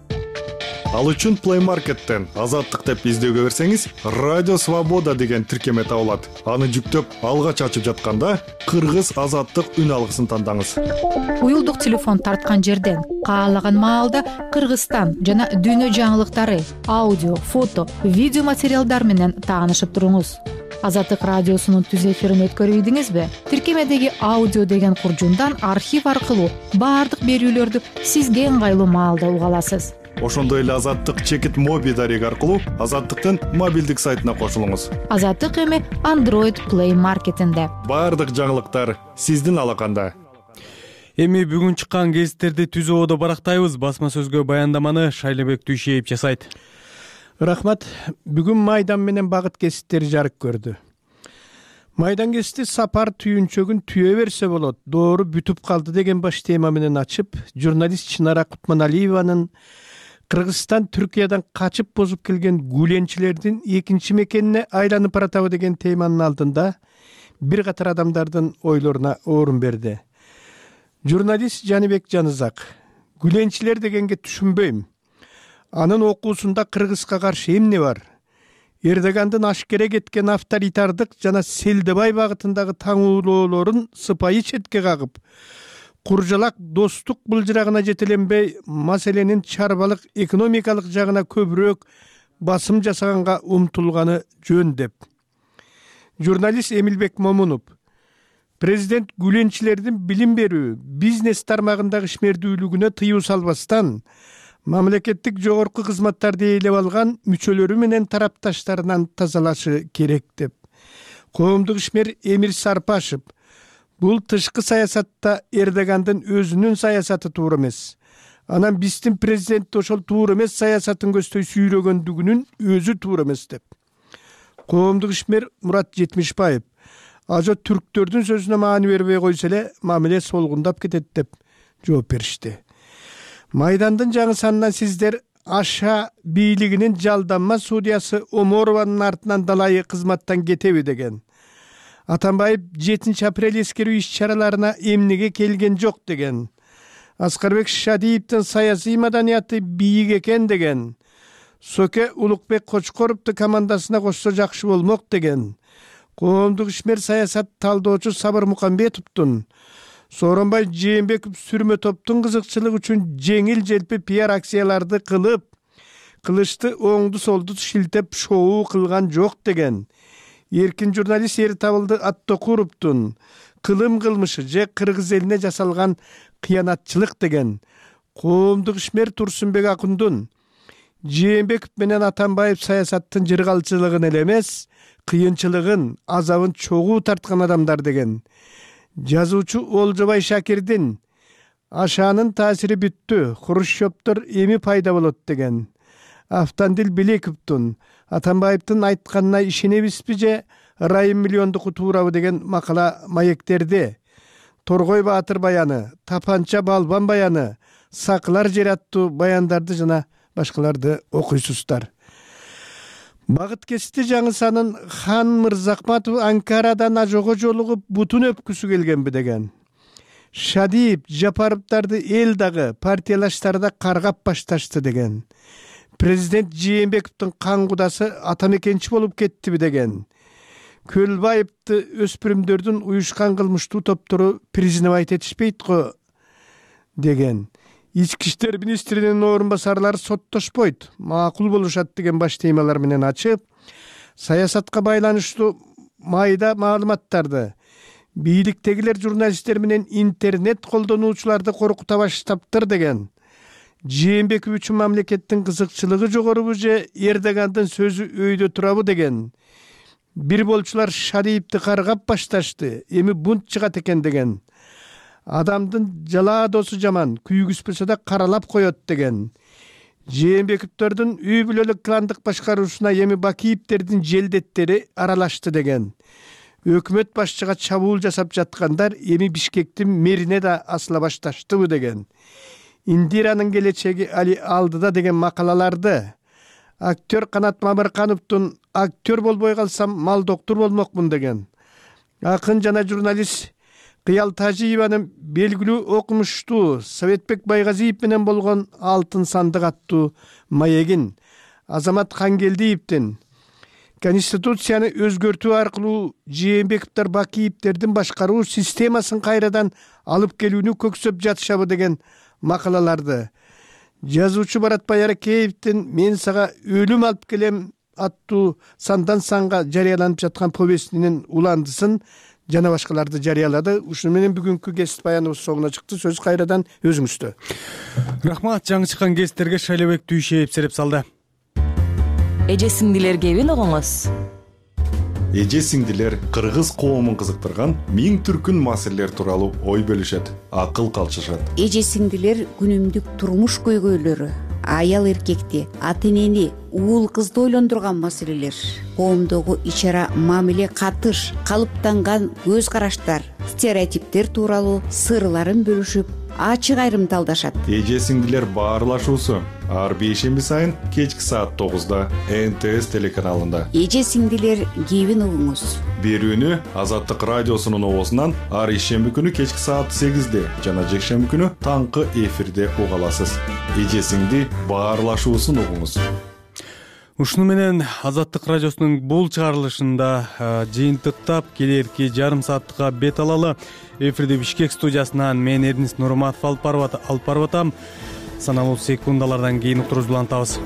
Ал үчүн Play Market'тен Азаттык деп издөөгө берсеңиз, Радио Свобода деген тиркеме табылат. Аны жүктөп, алгач ачып жатканда Кыргыз Азаттык үн алгысын тандаңыз. Уюлдук телефон тарткан жерден каалаган маалда Кыргызстан жана дүйнө жаңылыктары, аудио, фото, видео материалдар менен таанышып туруңуз. Азаттык радиосунун түз эфирин өткөрүп ийдиңизби? Тиркемедеги аудио деген куржундан архив аркылуу баардык берүүлөрдү сизге ыңгайлуу маалда уга аласыз. Ошондой эле Азаттык чекит моби дареги аркылуу Азаттыктын мобилдик сайтына кошулуңуз. Азаттык эми Android Play Market'инде. Баардык жаңылыктар сиздин алаканда. Эми бүгүн чыккан гезиттерди түз ободо барактайбыз. Басма сөзгө баяндаманы Шайлебек Дүйшеев жасайт. Рахмат. Бүгүн Майдан менен багыт гезиттери жарык көрдү. Майдан гезити сапар түйүнчөгүн түйө берсе болот, доору бүтүп калды деген баш тема менен ачып, журналист Чынара Кутманалиеванын Кыргызстан Түркиядан качып бозуп келген гүленчилердин экинчи мекенине айланып баратабы деген теманын алдында бир катар адамдардын ойлоруна орун берди. Журналист Жаныбек Жанызак: гүленчилер дегенге түшүнбөйм. Анын окуусунда Кыргызга каршы эмне бар? Эрдогандын ашкере кеткен авторитардык жана Селдебай багытындагы таңуулоолорун сыпайы четке кагып, куржалак достук былжырагына жетеленбей, маселенин чарбалык экономикалык жагына көбүрөөк басым жасаганга умтулганы жөн деп. Журналист Эмилбек Момунов: Президент гүленчилердин билим берүү, бизнес тармагындагы ишмердүүлүгүнө тыюу салбастан мамлекеттик жогорку кызматтарды ээлеп алган мүчөлөрү менен тарапташтарынан тазалашы керек деп. Коомдук ишмер Эмир Сарпашев бул тышкы саясатта Эрдогандын өзүнүн саясаты туура эмес. Анан биздин президент ошол туура эмес саясатын көздөй сүйрөгөндүгүнүн өзү туура эмес деп. Коомдук ишмер Мурат Жетимишбаев ажо түрктөрдүн сөзүнө маани бербей койсо эле мамиле солгундап кетет деп жооп беришти. Майдандын жаңы санынан сиздер Аша бийлигинин жалданма судьясы Оморованын артынан далайы кызматтан кетеби деген. Атамбаев жетинчи апрель эскерүү иш-чараларына эмнеге келген жок деген. Аскарбек Шадиевдин саясий маданияты бийик экен деген. Соке Улукбек Кочкоровду командасына кошсо жакшы болмок деген. Коомдук ишмер саясат талдоочу Сабыр Мукамбетовдун Сооронбай Жээнбеков сүрмө топтун кызыкчылыгы үчүн жеңил желпи пиар акцияларды кылып, кылычты оңду солду шилтеп шоу кылган жок деген. Эркин журналист Эртабылды Аттокуровдун кылым кылмышы же кыргыз элине жасалган кыянатчылык деген. Коомдук ишмер Турсунбек Акундун Жээнбеков менен Атамбаев саясаттын жыргалчылыгын эле эмес, кыйынчылыгын, азабын чогуу тарткан адамдар деген. Жазуучу Олжобай Шакирдин Ашанын таасири бүттү, Хрущевдор эми пайда болот деген. Автандил Белековдун Атамбаевдин айтканына ишенебизби же Райым миллиондуку туурабы деген макала маектерди. Торгой Баатыр баяны, Тапанча Балбан баяны, Сакылар жер аттуу баяндарды жана башкаларды окуйсуздар. Багыт кести жаңы санын Хан Мырзакматов Анкарадан ажого жолугуп бутун өпкүсү келгенби деген. Шадиев Жапаровдарды эл дагы партиялаштарда каргап башташты деген. Президент Жээнбековдун кан кудасы атамекенчи болуп кеттиби деген. Көлбаевди өспүрүмдөрдүн уюшкан кылмыштуу топтору признавать этишпейт го деген. Ички иштер министринин орун басарлары соттошпойт, макул болушат деген баш темалар менен ачып, саясатка байланыштуу майда маалыматтарды, бийликтегилер журналисттер менен интернет колдонуучуларды коркута баштаптыр деген. Жээнбеков үчүн мамлекеттин кызыкчылыгы жогорубу же Эрдогандын сөзү өйдө турабы деген. Бир болчулар Шадиевди каргап башташты, эми бунт чыгат экен деген. Адамдын жала досу жаман, күйгүспөсө да каралап коет деген. Жээнбековдордун үй бүлөлүк кландык башкаруусуна эми Бакиевдердин желдеттери аралашты деген. Өкмөт башчыга чабуул жасап жаткандар эми Бишкектин мэрине да асыла башташтыбы деген. Индиранын келечеги али алдыда деген макалаларды актер Канат Мамыркановдун актер болбой калсам мал доктор болмокмун деген. Акын жана журналист Кыял Тажиеванын белгилүү окумуштуу Советбек Байгазиев менен болгон Алтын сандык аттуу маегин, Азамат Хангелдиевдин Конституцияны өзгөртүү аркылуу Жээнбековдор Бакиевдердин башкаруу системасын кайрадан алып келүүнү көксөп жатышабы деген макалаларды, жазуучу Баратбай Аракеевдин Мен сага өлүм алып келем аттуу сандан санга жарыяланып жаткан повестинин уландысын жана башкаларды жарыялады. Ушуну менен бүгүнкү кесип баяныбыз соңуна чыкты. Сөз кайрадан өзүңүздө. Рахмат, жаңы чыккан кесиптерге Шайлебек Түйшеев сереп салды. Эже сиңдилер кебин угуңуз. Эже сиңдилер кыргыз коомун кызыктырган миң түркүн маселелер тууралуу ой бөлүшөт, акыл калчышат. Эже сиңдилер күнүмдүк турмуш көйгөйлөрү, аял эркекти, ата энени, уул кызды ойлондурган маселелер, коомдогу ичара мамиле, катыш, калыптанган көз караштар, стереотиптер тууралуу сырларын бөлүшүп, ачык айрымталдашат. Эже сиңдилер баарлашуусу ар бейшемби сайын кечки саат тогузда Н Т С телеканалында. Эже сиңдилер кебин угуңуз. Берүүнү Азаттык радиосунун оозунан ар ишемби күнү кечки саат сегизде жана жекшемби күнү таңкы эфирде уга аласыз. Эже сиңди баарлашуусун угуңуз. Ушуну менен Азаттык радиосунун бул чыгарылышында жыйынтыктап келерки жарым саатка бет алалы. Эфирде Бишкек студиясынан мен Эрдинис Нурматов алып барып атам. Саналуу секундалардан кийин уктурубузду улантабыз.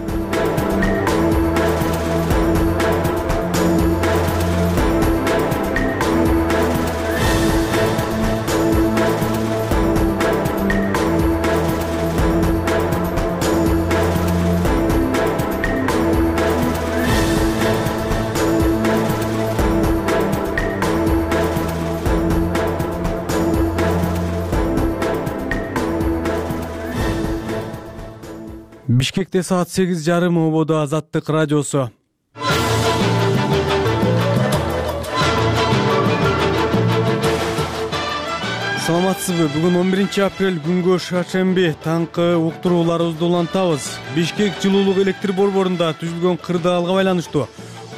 Бишкекте саат сегиз жарым ободо Азаттык радиосу. Саламатсызбы? Бүгүн он биринчи апрель күнгө шаршемби. Таңкы уктурууларыбызды улантабыз. Бишкек жылуулук электр борборунда түзүлгөн кырдаалга байланыштуу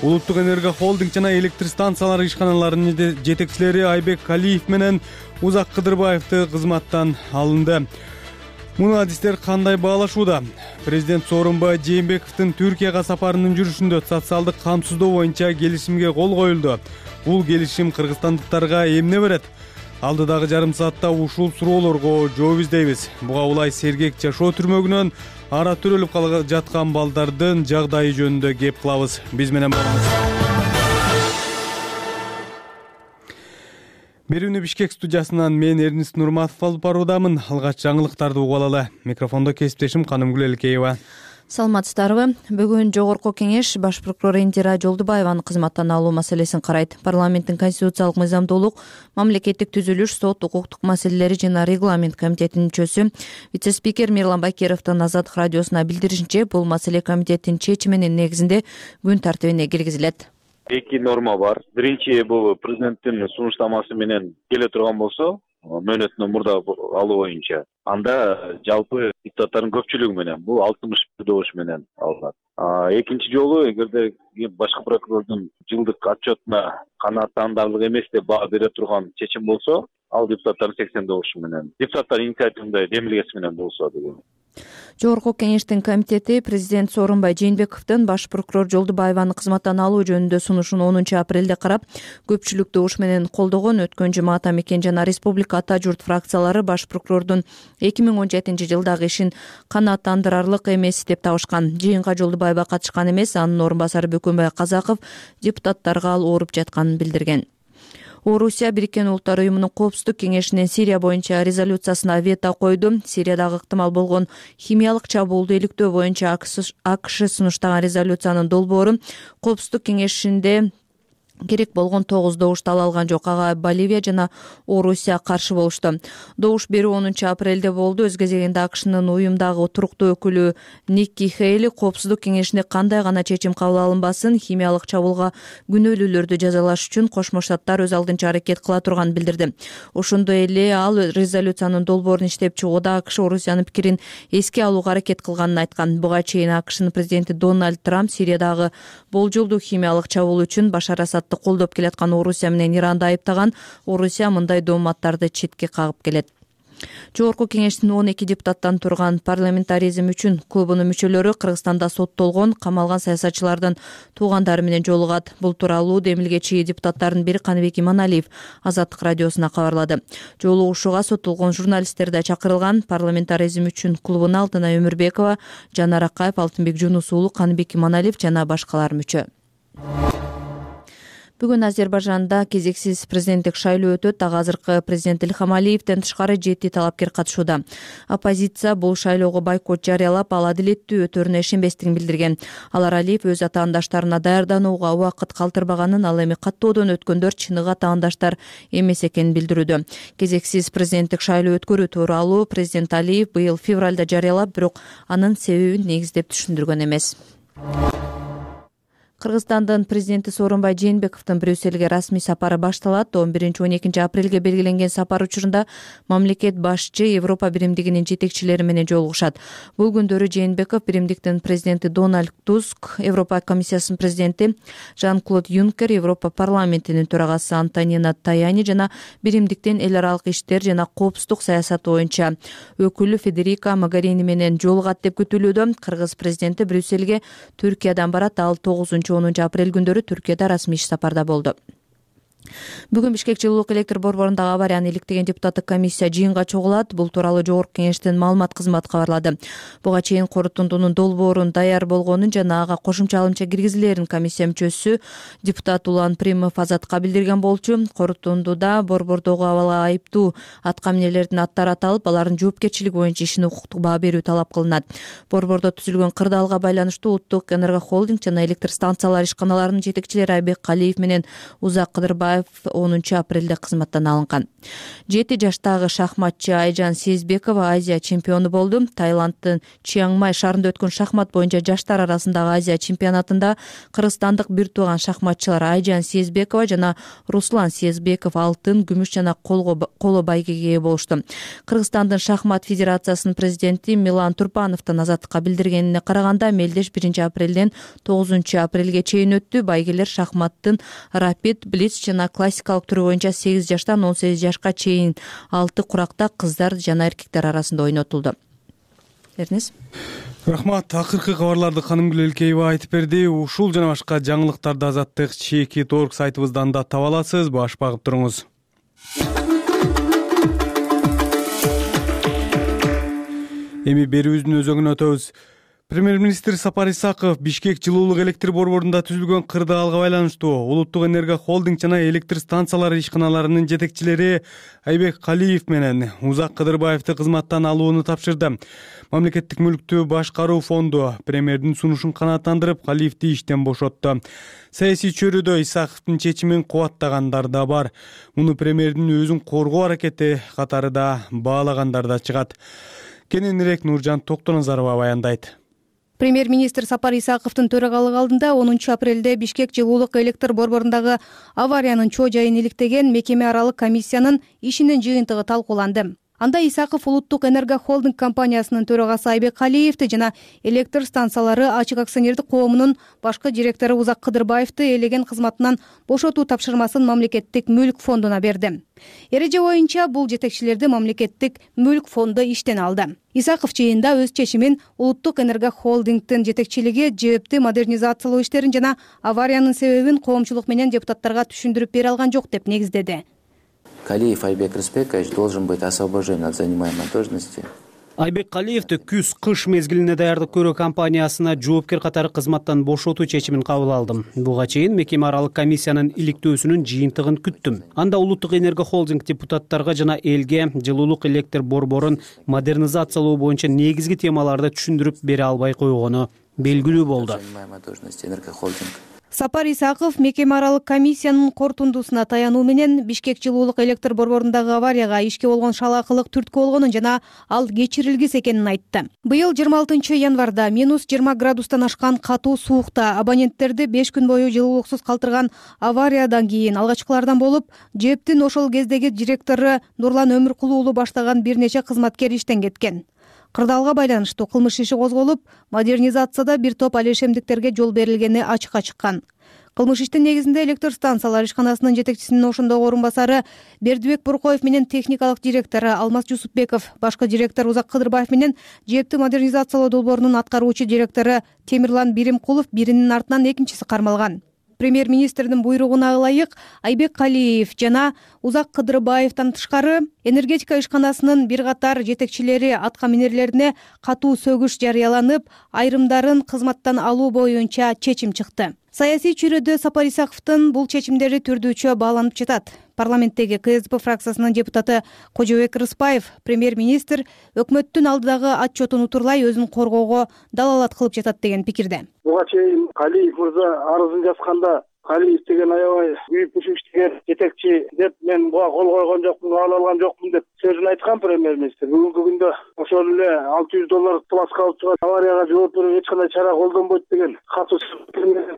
Улуттук энерго холдинг жана электр станциялары ишканаларынын жетекчилери Айбек Калиев менен Узак Кыдырбаевди кызматтан алынды. Муну адистер кандай баалашууда? Президент Сооронбай Жээнбековдун Түркияга сапарынын жүрүшүндө социалдык камсыздоо боюнча келишимге кол коюлду. Бул келишим кыргызстандыктарга эмне берет? Алдыдагы жарым саатта ушул суроолорго жооп издейбиз. Буга улай сергек жашоо түрмөгүнөн ара төрөлүп кала жаткан балдардын жагдайы жөнүндө кеп кылабыз. Биз менен болуңуз. Берүүнү Бишкек студиясынан мен Эрнист Нурматов алып баруудамын. Алгач жаңылыктарды угуп алалы. Микрофондо кесиптешим Канымгүл Элкеева. Саламатсыздарбы? Бүгүн Жогорку Кеңеш баш прокурор Индира Жолдубаеваны кызматтан алуу маселесин карайт. Парламенттин конституциялык мыйзамдуулук, мамлекеттик түзүлүш, сот, укуктук маселелери жана регламент комитетинин мүчөсү вице-спикер Мирлан Бакировдун Азаттык радиосуна билдиришинче, бул маселе комитеттин чечиминин негизинде күн тартибине киргизилет. Эки норма бар. Биринчи бул президенттин сунуштамасы менен келе турган болсо, мөөнөтүнөн мурда алуу боюнча, анда жалпы депутаттардын көпчүлүгү менен бул алтымыш бир добуш менен алынат. Экинчи жолу эгерде башкы прокурордун жылдык отчетуна канааттандарлык эмес деп баа бере турган чечим болсо, ал депутаттардын сексен добушу менен, депутаттар инициативында демилгеси менен болсо деген. Жогорку Кеңештин комитети президент Сооронбай Жээнбековдун баш прокурор Жолдубаеваны кызматтан алуу жөнүндө сунушун онунчу апрелде карап, көпчүлүк добуш менен колдогон. Өткөн жума Ата Мекен жана Республика Ата Журт фракциялары баш прокурордун эки миң он жетинчи жылдагы ишин канааттандырарлык эмес деп табышкан. Жыйынга Жолдубаева катышкан эмес, анын орун басары Бөкөнбай Казаков депутаттарга ал ооруп жатканын билдирген. Орусия Бириккен Улуттар уюмунун Коопсуздук кеңешинин Сирия боюнча резолюциясына вето койду. Сириядагы ыктымал болгон химиялык чабуулду иликтөө боюнча АКШ сунуштаган резолюциянын долбоору Коопсуздук кеңешинде керек болгон тогуз добуш ала алган жок. Ага Боливия жана Орусия каршы болушту. Добуш берүү онунчу апрелде болду. Өз кезегинде АКШнын уюмдагы туруктуу өкүлү Никки Хейли Коопсуздук кеңешинде кандай гана чечим кабыл алынбасын, химиялык чабуулга күнөөлүүлөрдү жазалаш үчүн Кошмо Штаттар өз алдынча аракет кыла турганын билдирди. Ошондой эле ал резолюциянын долбоорун иштеп чыгууда АКШ Орусиянын пикирин эске алууга аракет кылганын айткан. Буга чейин АКШнын президенти Дональд Трамп Сириядагы болжолдуу химиялык чабуул үчүн Башар Асад колдоп келаткан Орусия менен Иранды айыптаган. Орусия мындай дооматтарды четке кагып келет. Жогорку Кеңештин он эки депутаттан турган парламентаризм үчүн клубунун мүчөлөрү Кыргызстанда соттолгон, камалган саясатчылардын туугандары менен жолугат. Бул тууралуу демилгечи депутаттардын бири Каныбек Иманалиев Азаттык радиосуна кабарлады. Жолугушууга соттолгон журналисттер да чакырылган. Парламентаризм үчүн клубуна Алтынай Өмүрбекова, Жанар Акаев, Алтынбек Жунус уулу, Каныбек Иманалиев жана башкалар мүчө. Бүгүн Азербайжанда кезексиз президенттик шайлоо өтөт. Ага азыркы президент Илхам Алиевден тышкары жети талапкер катышууда. Оппозиция бул шайлоого бойкот жарыялап, ал адилеттүү өтөрүнө ишенбестигин билдирген. Алар Алиев өз атаандаштарына даярданууга убакыт калтырбаганын, ал эми каттоодон өткөндөр чыныгы атаандаштар эмес экенин билдирүүдө. Кезексиз президенттик шайлоо өткөрүү тууралуу президент Алиев быйыл февралда жарыялап, бирок анын себебин негиздеп түшүндүргөн эмес. Кыргызстандын президенти Сооронбай Жээнбековдун Брюссельге расмий сапары башталат. он биринчи он экинчи апрелге белгиленген сапар учурунда мамлекет башчы Европа биримдигинин жетекчилери менен жолугушат. Бул күндөрү Жээнбеков биримдиктин президенти Дональд Туск, Европа комиссиясынын президенти Жан-Клод Юнкер, Европа парламентинин төрагасы Антонина Таяни жана биримдиктин эл аралык иштер жана коопсуздук саясат боюнча өкүлү Федерика Могарини менен жолугат деп күтүлүүдө. Кыргыз президенти Брюссельге Түркиядан барат. Ал тогузунчу онунчу апрель күндөрү Түркияда расмий иш сапарда болду. Бүгүн Бишкек жылуулук электр борборундагы аварияны иликтеген депутаттык комиссия жыйынга чогулат. Бул тууралуу Жогорку Кеңештин маалымат кызматы кабарлады. Буга чейин корутундунун долбоорун даяр болгонун жана ага кошумча алымча киргизилерин комиссия мүчөсү депутат Улан Примов Азатка билдирген болчу. Корутундуда борбордогу абалы айыптуу атка минерлердин аттары аталып, алардын жоопкерчилиги боюнча ишине укуктук баа берүү талап кылынат. Борбордо түзүлгөн кырдаалга байланыштуу Улуттук энерго холдинг жана электр станциялары ишканаларынын жетекчилери Айбек Калиев менен Узак Кыдырбаев Жолдубаев онунчу апрелде кызматтан алынган. жети жаштагы шахматчы Айжан Сезбекова Азия чемпиону болду. Таиланддын Чиангмай шаарында өткөн шахмат боюнча жаштар арасындагы Азия чемпионатында кыргызстандык бир тууган шахматчылар Айжан Сезбекова жана Руслан Сезбеков алтын, күмүш жана коло байгеге ээ болушту. Кыргызстандын шахмат федерациясынын президенти Милан Турпановдун азаттыкка билдиргенине караганда, мелдеш биринчи апрелден тогузунчу апрелге чейин өттү. Байгелер шахматтын рапид, блиц жана классикалык түрү боюнча сегиз жаштан он сегиз жашка чейин алты куракта кыздар жана эркектер арасында ойнотулду. Эрнес. Рахмат. Акыркы кабарларды Канымгүл Элкеева айтып берди. Ушул жана башка жаңылыктарды Азаттык чекит точка орг сайтыбыздан да таба аласыз. Баш багып туруңуз. Эми берүүбүздүн өзөгүнө өтөбүз. Премьер-министр Сапар Исаков Бишкек жылуулук электр борборунда түзүлгөн кырдаалга байланыштуу Улуттук энергия холдинг жана электр станциялары ишканаларынын жетекчилери Айбек Калиев менен Узак Кыдырбаевди кызматтан алууну тапшырды. Мамлекеттик мүлктү башкаруу фонду премьердин сунушун канааттандырып, Калиевди иштен бошотту. Саясий чөйрөдө Исаковдун чечимин кубаттагандар да бар. Муну премьердин өзүн коргоо аракети катары да баалагандар да чыгат. Кененирээк Нуржан Токтоназарова баяндайт. Премьер-министр Сапар Исаковдун төрагалыгы алдында онунчу апрелде Бишкек жылуулук электр борборундагы авариянын чоо жайын иликтеген мекеме аралык комиссиянын ишинин жыйынтыгы талкууланды. Анда Исаков Улуттук энергия холдинг компаниясынын төрагасы Айбек Калиевди жана электр станциялары ачык акционердик коомунун башкы директору Узак Кыдырбаевди элеген кызматынан бошотуу тапшырмасын мамлекеттик мүлк фондуна берди. Эреже боюнча бул жетекчилерди мамлекеттик мүлк фонду иштен алды. Исаков жыйында өз чечимин Улуттук энергия холдингдин жетекчилиги жээптүү модернизациялоо иштерин жана авариянын себебин коомчулук менен депутаттарга түшүндүрүп бере алган жок деп негиздеди. Калиев Айбек Рыспекович должен быть освобожден от занимаемой должности. Айбек Калиевди күз-кыш мезгилине даярдык көрүү компаниясына жоопкер катары кызматтан бошотуу чечимин кабыл алдым. Буга чейин мекеме аралык комиссиянын иликтөөсүнүн жыйынтыгын күттүм. Анда Улуттук энергия холдинг депутаттарга жана элге жылуулук электр борборун модернизациялоо боюнча негизги темаларды түшүндүрүп бере албай койгону белгилүү болду. Сапар Исаков мекеме аралык комиссиянын корутундусуна таянуу менен Бишкек жылуулук электр борборундагы аварияга ишке болгон шалаакылык түрткү болгонун жана ал кечирилгис экенин айтты. Быйыл жыйырма алтынчы январда минус жыйырма градустан ашкан катуу суукта абоненттерди беш күн бою жылуулуксуз калтырган авариядан кийин алгачкылардан болуп, ЖЭБтин ошол кездеги директору Нурлан Өмүркулуу уулу баштаган бир нече кызматкер иштен кеткен. Кырдаалга байланыштуу кылмыш иши козголуп, модернизацияда бир топ алешемдиктерге жол берилгени ачыкка чыккан. Кылмыш иштин негизинде электр станциялар ишканасынын жетекчисинин ошондогу орун басары Бердибек Буркоев менен техникалык директору Алмаз Жусупбеков, башкы директор Узак Кыдырбаев менен жээптүү модернизациялоо долбоорунун аткаруучу директору Темирлан Биримкулов биринин артынан экинчиси кармалган. Премьер-министрдин буйругуна ылайык Айбек Калиев жана Узак Кыдырбаевден тышкары энергетика ишканасынын бир катар жетекчилери атка минерлерине катуу сөгүш жарыяланып, айрымдарын кызматтан алуу боюнча чечим чыкты. Саясий чөйрөдө Сапар Исаковдун бул чечимдери түрдүүчө бааланып жатат. Парламенттеги КСДП фракциясынын депутаты Кожобек Рыспаев премьер-министр өкмөттүн алдыдагы отчетун утурлай өзүн коргоого далалат кылып жатат деген пикирде. Буга чейин Калиев мырза арызын жазганда Калиев деген аябай күйүп пүшүп иштеген жетекчи деп мен буга кол койгон жокмун, кабыл алган жокмун деп сөзүн айткан премьер-министр. Бүгүнкү күндө ошол эле алты жүз доллар пласка алып чыгып аварияга жооп берүүгө эч кандай чара колдонбойт деген катуу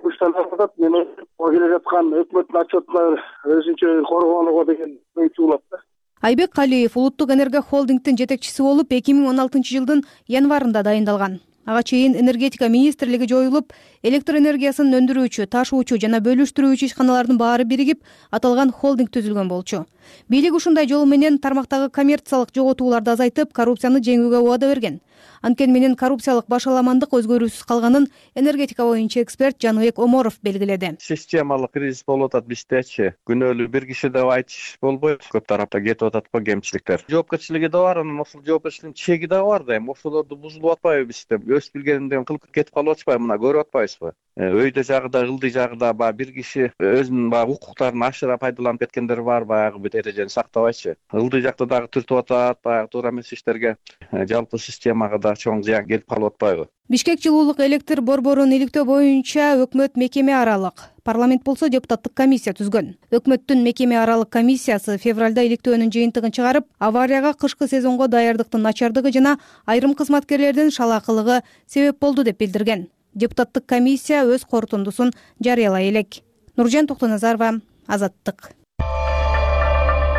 күчтөн атат. Мен келе жаткан өкмөттүн отчетуна өзүнчө коргонууга деген ой чуулат да. Айбек Калиев Улуттук энергия холдингдин жетекчиси болуп эки миң он алтынчы жылдын январында дайындалган. Ага чейин энергетика министрлиги жоюлуп, электр энергиясын өндүрүүчү, ташуучу жана бөлүштүрүүчү ишканалардын баары биригип аталган холдинг түзүлгөн болчу. Бийлик ушундай жол менен тармактагы коммерциялык жоготууларды азайтып, коррупцияны жеңүүгө убада берген. Анткени менен коррупциялык башаламандык өзгөрүүсүз калганын энергетика боюнча эксперт Жаныбек Оморов белгиледи. Системалык кризис болуп атат биздечи. Күнөөлүү бир киши деп айтыш болбойт. Көп тарапта кетип атат го кемчиликтер. Жоопкерчилиги да бар, анан ошол жоопкерчиликтин чеги да бар да. Эми ошолорду бузулуп атпайбы бизде? Өз билгенден кылып кетип калып атпайбы? Мына көрүп атпайбызбы? өйдө жагыда ылдый жагыда баягы бир киши өзүнүн баягы укуктарын ашыра пайдаланып кеткендер бар, баягы бир эрежени сактабайчы. Ылдый жакта дагы түртүп атат, баягы туура эмес иштерге жалпы системага да чоң зыян келип калып атпайбы? Бишкек жылуулук электр борборун иликтөө боюнча өкмөт мекеме аралык, парламент болсо депутаттык комиссия түзгөн. Өкмөттүн мекеме аралык комиссиясы февралда иликтөөнүн жыйынтыгын чыгарып, аварияга кышкы сезонго даярдыктын начардыгы жана айрым кызматкерлердин шалаакылыгы себеп болду деп билдирген. Депутаттык комиссия өз корутундусун жарыялай элек. Нуржан Токтоназарова, Азаттык.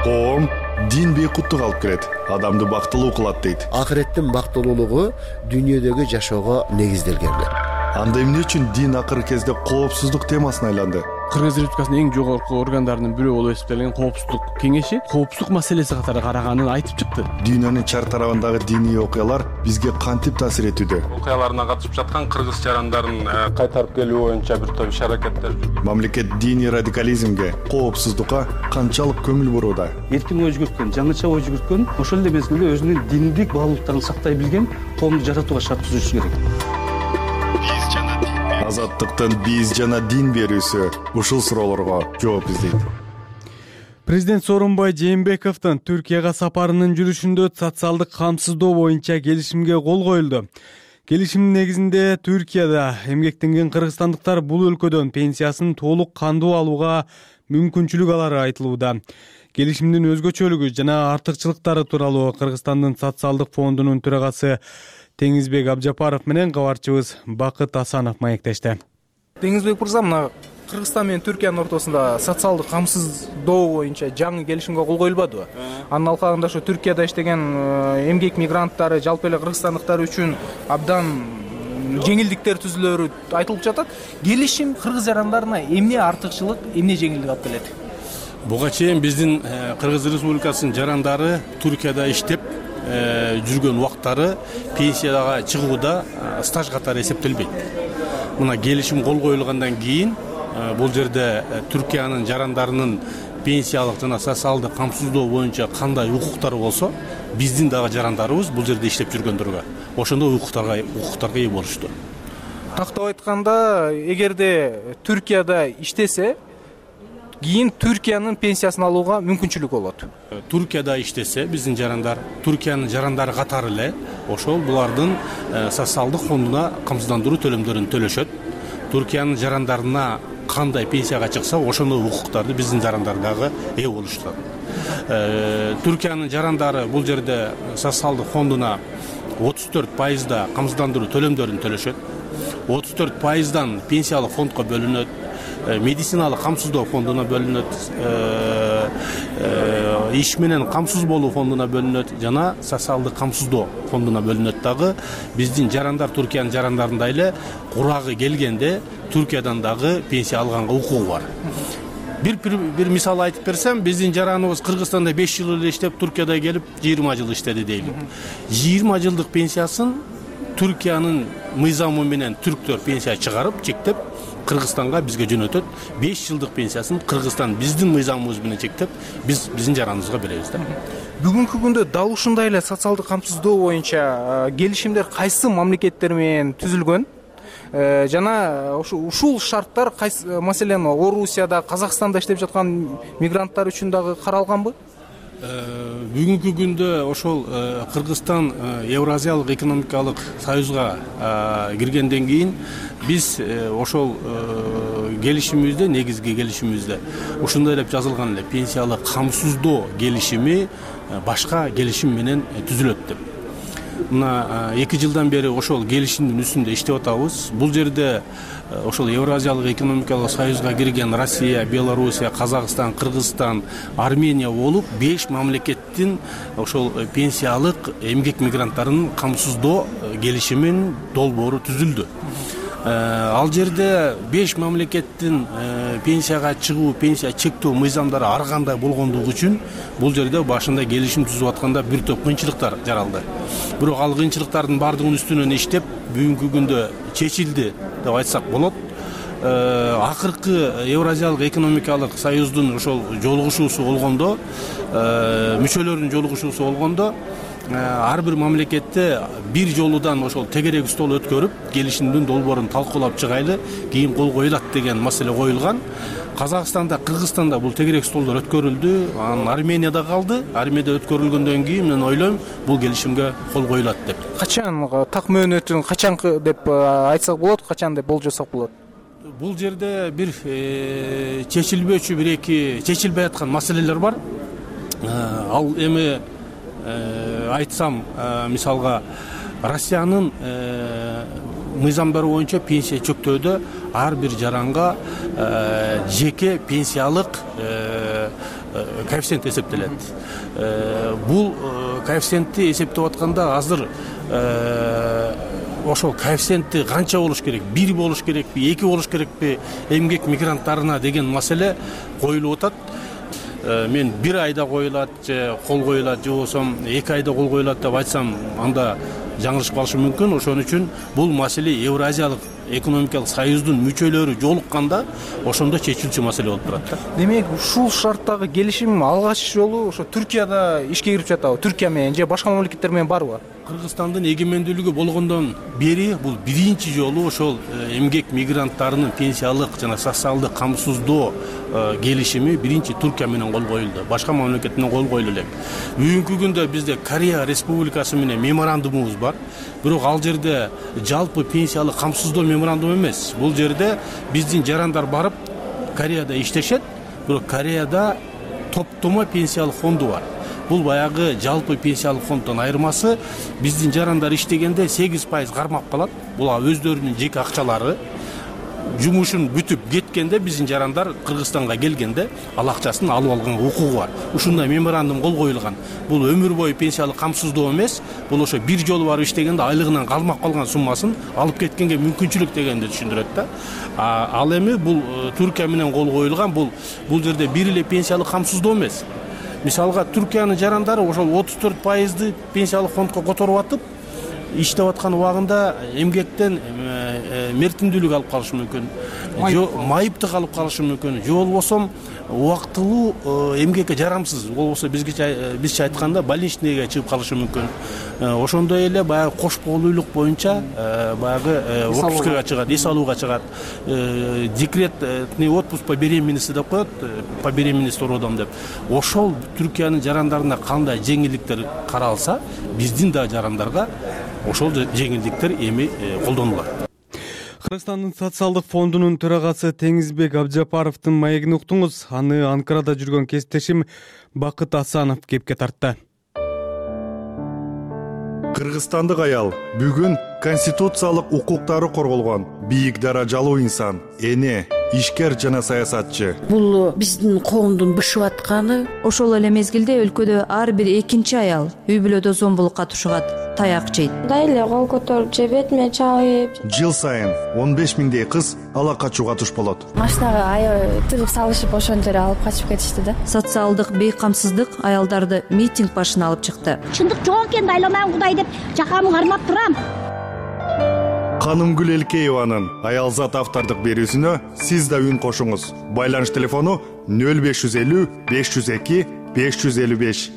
Коом дин бейкуттук алып келет, адамды бактылуу кылат дейт. Акыреттин бактылуулугу дүйнөдөгү жашоого негизделген. Анда эмне үчүн дин акыркы кезде коопсуздук темасына айланды? Кыргыз Республикасынын эң жогорку органдарынын бирөө болуп эсептелген коопсуздук кеңеши коопсуздук маселеси катары караганын айтып чыкты. Дүйнөнүн чар тарабындагы диний окуялар бизге кантип таасир этүүдө? Окуяларына катышып жаткан кыргыз жарандарын кайтарып келүү боюнча бир топ иш-аракеттер жүргүзүлөт. Мамлекет диний радикализмге, коопсуздукка канчалык көңүл бурууда? Эркин ой жүгүрткөн, жаңыча ой жүгүрткөн, ошол эле мезгилде өзүнүн диндик баалуулуктарын сактай билген коомду жаратууга шарт түзүшү керек. Азаттыктын биз жана дин берүүсү ушул суроолорго жооп издейт. Президент Сооронбай Жээнбековдун Түркияга сапарынын жүрүшүндө социалдык камсыздоо боюнча келишимге кол коюлду. Келишимдин негизинде Түркияда эмгектенген кыргызстандыктар бул өлкөдөн пенсиясын толук кандуу алууга мүмкүнчүлүк алары айтылууда. Келишимдин өзгөчөлүгү жана артыкчылыктары тууралуу Кыргызстандын социалдык фондунун төрагасы Теңизбек Абжапаров менен кабарчыбыз Бакыт Асанов маектешти. Теңизбек мырза, мына Кыргызстан менен Түркиянын ортосунда социалдык камсыздоо боюнча жаңы келишимге кол коюлбадыбы? Анын алкагында ошо Түркияда иштеген эмгек мигранттары, жалпы эле кыргызстандыктар үчүн абдан жеңилдиктер түзүлөрү айтылып жатат. Келишим кыргыз жарандарына эмне артыкчылык, эмне жеңилдик алып келет? Буга чейин биздин Кыргыз Республикасынын жарандары Түркияда иштеп жүргөн убактары пенсияга чыгууда стаж катары эсептелбейт. Мына келишим кол коюлгандан кийин бул жерде Түркиянын жарандарынын пенсиялык жана социалдык камсыздоо боюнча кандай укуктары болсо, биздин дагы жарандарыбыз бул жерде иштеп жүргөндөргө ошондой укуктарга укуктарга ээ болушту. Тактап айтканда, эгерде Түркияда иштесе, кийин Түркиянын пенсиясын алууга мүмкүнчүлүк болот. Түркияда иштесе, биздин жарандар Түркиянын жарандары катары эле ошол булардын социалдык фондуна камсыздандыруу төлөмдөрүн төлөшөт. Түркиянын жарандарына кандай пенсияга чыкса, ошондой укуктарды биздин жарандар дагы ээ болушту. Түркиянын жарандары бул жерде социалдык фондуна отуз төрт пайызда камсыздандыруу төлөмдөрүн төлөшөт. отуз төрт пайыздан пенсиялык фондко бөлүнөт. Медициналык камсыздоо фондуна бөлүнөт, иш менен камсыз болуу фондуна бөлүнөт жана социалдык камсыздоо фондуна бөлүнөт дагы. Биздин жарандар Түркиянын жарандарындай эле курагы келгенде Түркиядан дагы пенсия алганга укугу бар. Бир бир мисал айтып берсем, биздин жараныбыз Кыргызстанда беш жыл эле иштеп, Түркияда келип жыйырма жыл иштеди дейлик. жыйырма жылдык пенсиясын Түркиянын мыйзамы менен түрктөр пенсия чыгарып, чектеп Кыргызстанга бизге жөнөтөт. беш жылдык пенсиясын Кыргызстан биздин мыйзамыбыз менен чектеп, биз биздин жараныбызга беребиз да. Бүгүнкү күндө дал ушундай эле социалдык камсыздоо боюнча келишимдер кайсы мамлекеттер менен түзүлгөн? Жана ушул шарттар кайсы, маселен, Орусияда, Казакстанда иштеп жаткан мигранттар үчүн дагы каралганбы? Бүгүнкү күндө ошол Кыргызстан Евразиялык экономикалык союзга киргенден кийин биз ошол келишимибизде, негизги келишимибизде ушундай деп жазылган эле, пенсиялык камсыздоо келишими башка келишим менен түзүлөт деп. Мына эки жылдан бери ошол келишимдин үстүндө иштеп атабыз. Бул жерде ошол Евразиялык экономикалык союзга кирген Россия, Белоруссия, Казакстан, Кыргызстан, Армения болуп беш мамлекеттин ошол пенсиялык эмгек мигранттарынын камсыздоо келишимин долбоору түзүлдү. Ал жерде беш мамлекеттин пенсияга чыгуу, пенсия чектөө мыйзамдары ар кандай болгондугу үчүн бул жерде башында келишим түзүп атканда бир топ кыйынчылыктар жаралды. Бирок ал кыйынчылыктардын бардыгынын үстүнөн иштеп, бүгүнкү күндө чечилди деп айтсак болот. Акыркы Евразиялык экономикалык союздун ошол жолугушуусу болгондо, мүчөлөрүнүн жолугушуусу болгондо, ар бир мамлекетте бир жолудан ошол тегерек стол өткөрүп келишимдин долбоорун талкуулап чыгайлы, кийин кол коюлат деген маселе коюлган. Казакстанда, Кыргызстанда бул тегерек столдор өткөрүлдү, анан Арменияда калды. Арменияда өткөрүлгөндөн кийин мен ойлойм бул келишимге кол коюлат деп. Качан так мөөнөтүн качанкы деп айтсак болот, качан деп болжосок болот? Бул жерде бир чечилбөөчү бир эки чечилбей аткан маселелер бар. Ал эми айтсам, мисалга Россиянын мыйзамдары боюнча пенсия чөктөөдө ар бир жаранга жеке пенсиялык коэффициент эсептелет. Бул коэффициентти эсептеп атканда азыр ошол коэффициенти канча болуш керек? Бир болуш керекпи, эки болуш керекпи эмгек мигранттарына деген маселе коюлуп атат. Мен бир айда коюлат же кол коюлат же болбосо эки айда кол коюлат деп айтсам, анда жаңылышып калышы мүмкүн. Ошон үчүн бул маселе Евразиялык экономикалык союздун мүчөлөрү жолукканда ошондо чечилчү маселе болуп турат. Демек, ушул шарттагы келишим алгач жолу ошо Түркияда ишке кирип жатабы? Түркия менен же башка мамлекеттер менен барбы? Кыргызстандын эгемендүүлүгү болгондон бери бул биринчи жолу ошол эмгек мигранттарынын пенсиялык жана социалдык камсыздоо келишими биринчи Түркия менен кол коюлду. Башка мамлекет менен кол коюлу элек. Бүгүнкү күндө бизде Корея Республикасы менен меморандумубуз бар. Бирок ал жерде жалпы пенсиялык камсыздоо меморандум эмес. Бул жерде биздин жарандар барып Кореяда иштешет, бирок Кореяда топтомо пенсиялык фонду бар. Бул баягы жалпы пенсиялык фонддон айырмасы, биздин жарандар иштегенде сегиз пайыз кармап калат. Бул өздөрүнүн жеке акчалары. Жумушун бүтүп кеткенде биздин жарандар Кыргызстанга келгенде ал акчасын алып алганга укугу бар. Ушундай меморандум кол коюлган. Бул өмүр бою пенсиялык камсыздоо эмес, бул ошо бир жолу барып иштегенде айлыгынан калмак калган суммасын алып кеткенге мүмкүнчүлүк дегенди түшүндүрөт да. Ал эми бул Түркия менен кол коюлган, бул бул жерде бир эле пенсиялык камсыздоо эмес. Мисалга Түркиянын жарандары ошол отуз төрт пайызды пенсиялык фондко которуп атып, иштеп аткан убагында эмгектен мертимдүүлүк алып калышы мүмкүн, же майыптык алып калышы мүмкүн, же болбосо убактылуу эмгекке жарамсыз, болбосо бизге бизче айтканда больничныйга чыгып калышы мүмкүн. Ошондой эле баягы кош боолуулук боюнча баягы отпускага чыгат, эс алууга чыгат. Декретный отпуск по беременности деп коет, по беременности родом деп. Ошол Түркиянын жарандарына кандай жеңилдиктер каралса, биздин да жарандарга ошол жеңилдиктер эми колдонулат. Кыргызстандын социалдык фондунун төрагасы Теңизбек Абжапаровдун маегин уктуңуз. Аны Анкарада жүргөн кесиптешим Бакыт Асанов кепке тартты. Кыргызстандык аял бүгүн конституциялык укуктары корголгон бийик даражалуу инсан, эне, ишкер жана саясатчы. Бул биздин коомдун бышып атканы. Ошол эле мезгилде өлкөдө ар бир экинчи аял үй бүлөдө зомбулукка тушугат, таяк жейт. Мындай эле кол көтөрүп же бетиме чалып. Жыл сайын он беш миңдей кыз ала качууга туш болот. Машинага аябай тыгып салышып ошон жерге алып качып кетишти да. Социалдык бейкамсыздык аялдарды митинг башына алып чыкты. Чындык жок экен, айланайын Кудай деп жакамды кармап турам. Канымгүл Элкееванын Аялзат автордук берүүсүнө сиз да үн кошуңуз. Байланыш телефону нөл беш жүз элүү беш жүз эки беш жүз элүү беш.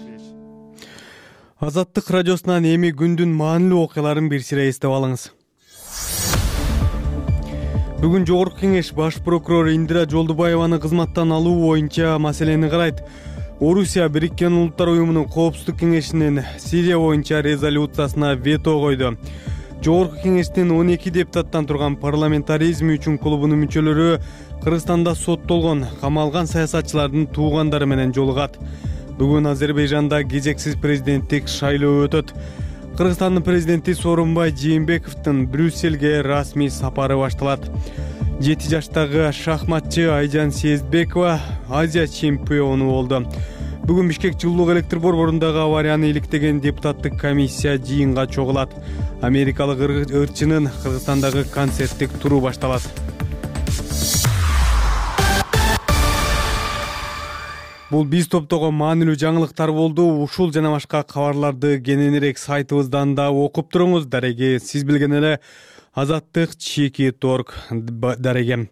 Азаттык радиосунан эми күндүн маанилүү окуяларын бир сыйра эстеп алыңыз. Бүгүн Жогорку Кеңеш баш прокурору Индира Жолдубаеваны кызматтан алуу боюнча маселени карайт. Орусия Бириккен Улуттар уюмунун Коопсуздук кеңешинин Сирия боюнча резолюциясына вето койду. Жогорку Кеңештин он эки депутаттан турган парламентаризм үчүн клубунун мүчөлөрү Кыргызстанда соттолгон, камалган саясатчылардын туугандары менен жолугат. Бүгүн Азербайжанда кезексиз президенттик шайлоо өтөт. Кыргызстандын президенти Сооронбай Жээнбековдун Брюссельге расмий сапары башталат. жети жаштагы шахматчы Айжан Сезбекова Азия чемпиону болду. Бүгүн Бишкек жылуулук электр борборундагы аварияны иликтеген депутаттык комиссия жыйынга чогулат. Америкалык ырчынын Кыргызстандагы концерттик туру башталат. Бул биз топтогон маанилүү жаңылыктар болду. Ушул жана башка кабарларды кененирээк сайтыбыздан да окуп туруңуз. Дареги сиз билген эле Азаттык чеки торг дареги.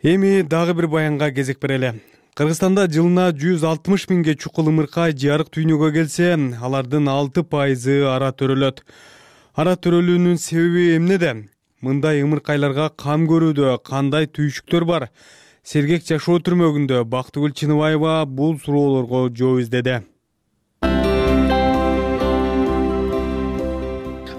Эми дагы бир баянга кезек берели. Кыргызстанда жылына жүз алтымыш миңге чукул ымыркай жарык дүйнөгө келсе, алардын алты пайызы ара төрөлөт. Ара төрөлүүнүн себеби эмнеде? Мындай ымыркайларга кам көрүүдө кандай түйшүктөр бар? Сергек жашоо түрмөгүндө Бактыгүл Чыныбаева бул суроолорго жооп издеди.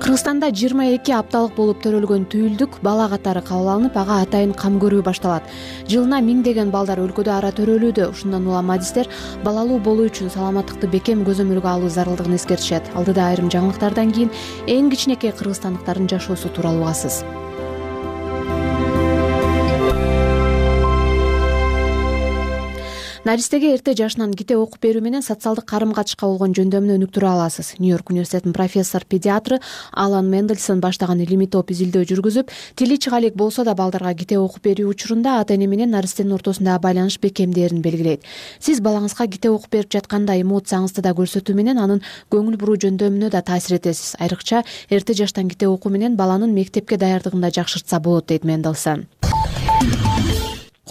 Кыргызстанда жыйырма эки апталык болуп төрөлгөн түйүлдүк бала катары кабыл алынып, ага атайын кам көрүү башталат. Жылына миңдеген балдар өлкөдө ара төрөлүүдө. Ушундан улам адистер балалуу болуу үчүн саламаттыкты бекем көзөмөлгө алуу зарылдыгын эскертишет. Алдыда айрым жаңылыктардан кийин эң кичинекей кыргызстандыктардын жашоосу тууралуу угасыз. Наристеге эрте жашынан китеп окуп берүү менен социалдык карым катышка болгон жөндөмүнү өнүктүрө аласыз. Нью-Йорк университетинин профессор педиатры Алан Мендельсон баштаган илимий топ изилдөө жүргүзүп, тили чыгалек болсо да балдарга китеп окуп берүү учурунда ата-эне менен наристенин ортосундагы байланыш бекемдээрин белгилейт. Сиз балаңызга китеп окуп берип жатканда эмоцияңызды да көрсөтүү менен анын көңүл буруу жөндөмүнө да таасир этесиз. Айрыкча эрте жаштан китеп окуу менен баланын мектепке даярдыгын да жакшыртса болот, дейт Мендельсон.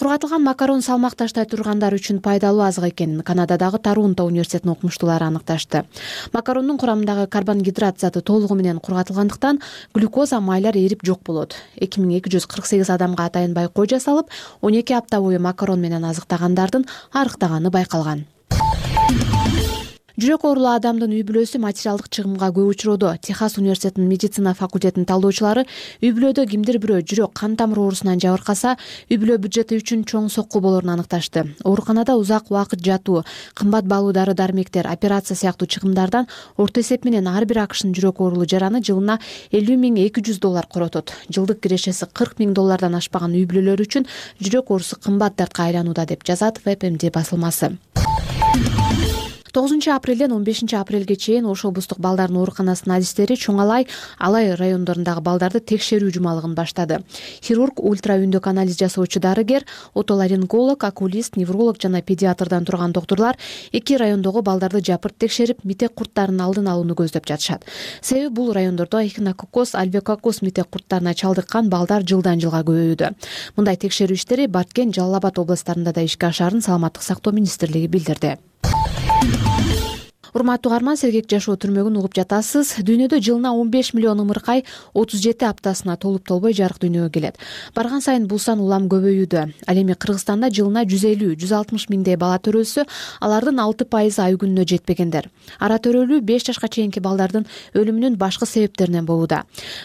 Кургатылган макарон салмак таштай тургандар үчүн пайдалуу азык экенин Канададагы Торонто университетинин окумуштуулары аныкташты. Макарондун курамындагы карбонгидрат заты толугу менен кургатылгандыктан глюкоза, майлар эрип жок болот. эки миң эки жүз кырк сегиз адамга атайын байкоо жасалып, он эки апта бою макарон менен азыктагандардын арыктаганы байкалган. Жүрөк оорулуу адамдын үй бүлөсү материалдык чыгымга көп учуроодо. Техас университетинин медицина факультетинин талдоочулары үй бүлөдө кимдир бирөө жүрөк кан тамыр оорусунан жабыркаса, үй бүлө бюджети үчүн чоң сокку болорун аныкташты. Ооруканада узак убакыт жатуу, кымбат баалуу дары-дармектер, операция сыяктуу чыгымдардан орто эсеп менен ар бир акшнын жүрөк оорулуу жараны жылына элүү миң эки жүз доллар коротот. Жылдык кирешеси кырк миң доллардан ашпаган үй бүлөлөр үчүн жүрөк оорусу кымбат дартка айланууда, деп жазат ВебМД басылмасы. тогузунчу апрелден он бешинчи апрелге чейин Ош облустук балдардын ооруканасынын адистери Чоңалай, Алай райондорундагы балдарды текшерүү жумалыгын баштады. Хирург, ультра үндүк анализ жасоочу дарыгер, отоларинголог, окулист, невролог жана педиатрдан турган доктурлар эки райондогу балдарды жапырт текшерип, митек курттарынын алдын алууну көздөп жатышат. Себеби бул райондордо эхинококкоз, альвекоккоз митек курттарына чалдыккан балдар жылдан жылга көбөйүүдө. Мындай текшерүү иштери Баркен, Жалал Абад областарында да ишке ашаарын Саламаттык сактоо министрлиги билдирди. Урматтуу угарман, сергек жашоо түрмөгүн угуп жатасыз. Дүйнөдө жылына он беш миллион ымыркай отуз жети аптасына толуп толбой жарык дүйнөгө келет. Барган сайын бул сан улам көбөйүүдө. Ал эми Кыргызстанда жылына жүз элүү жүз алтымыш миңдей бала төрөлсө, алардын алты пайызы ай күнүнө жетпегендер. Ара төрөлүү беш жашка чейинки балдардын өлүмүнүн башкы себептеринен болууда.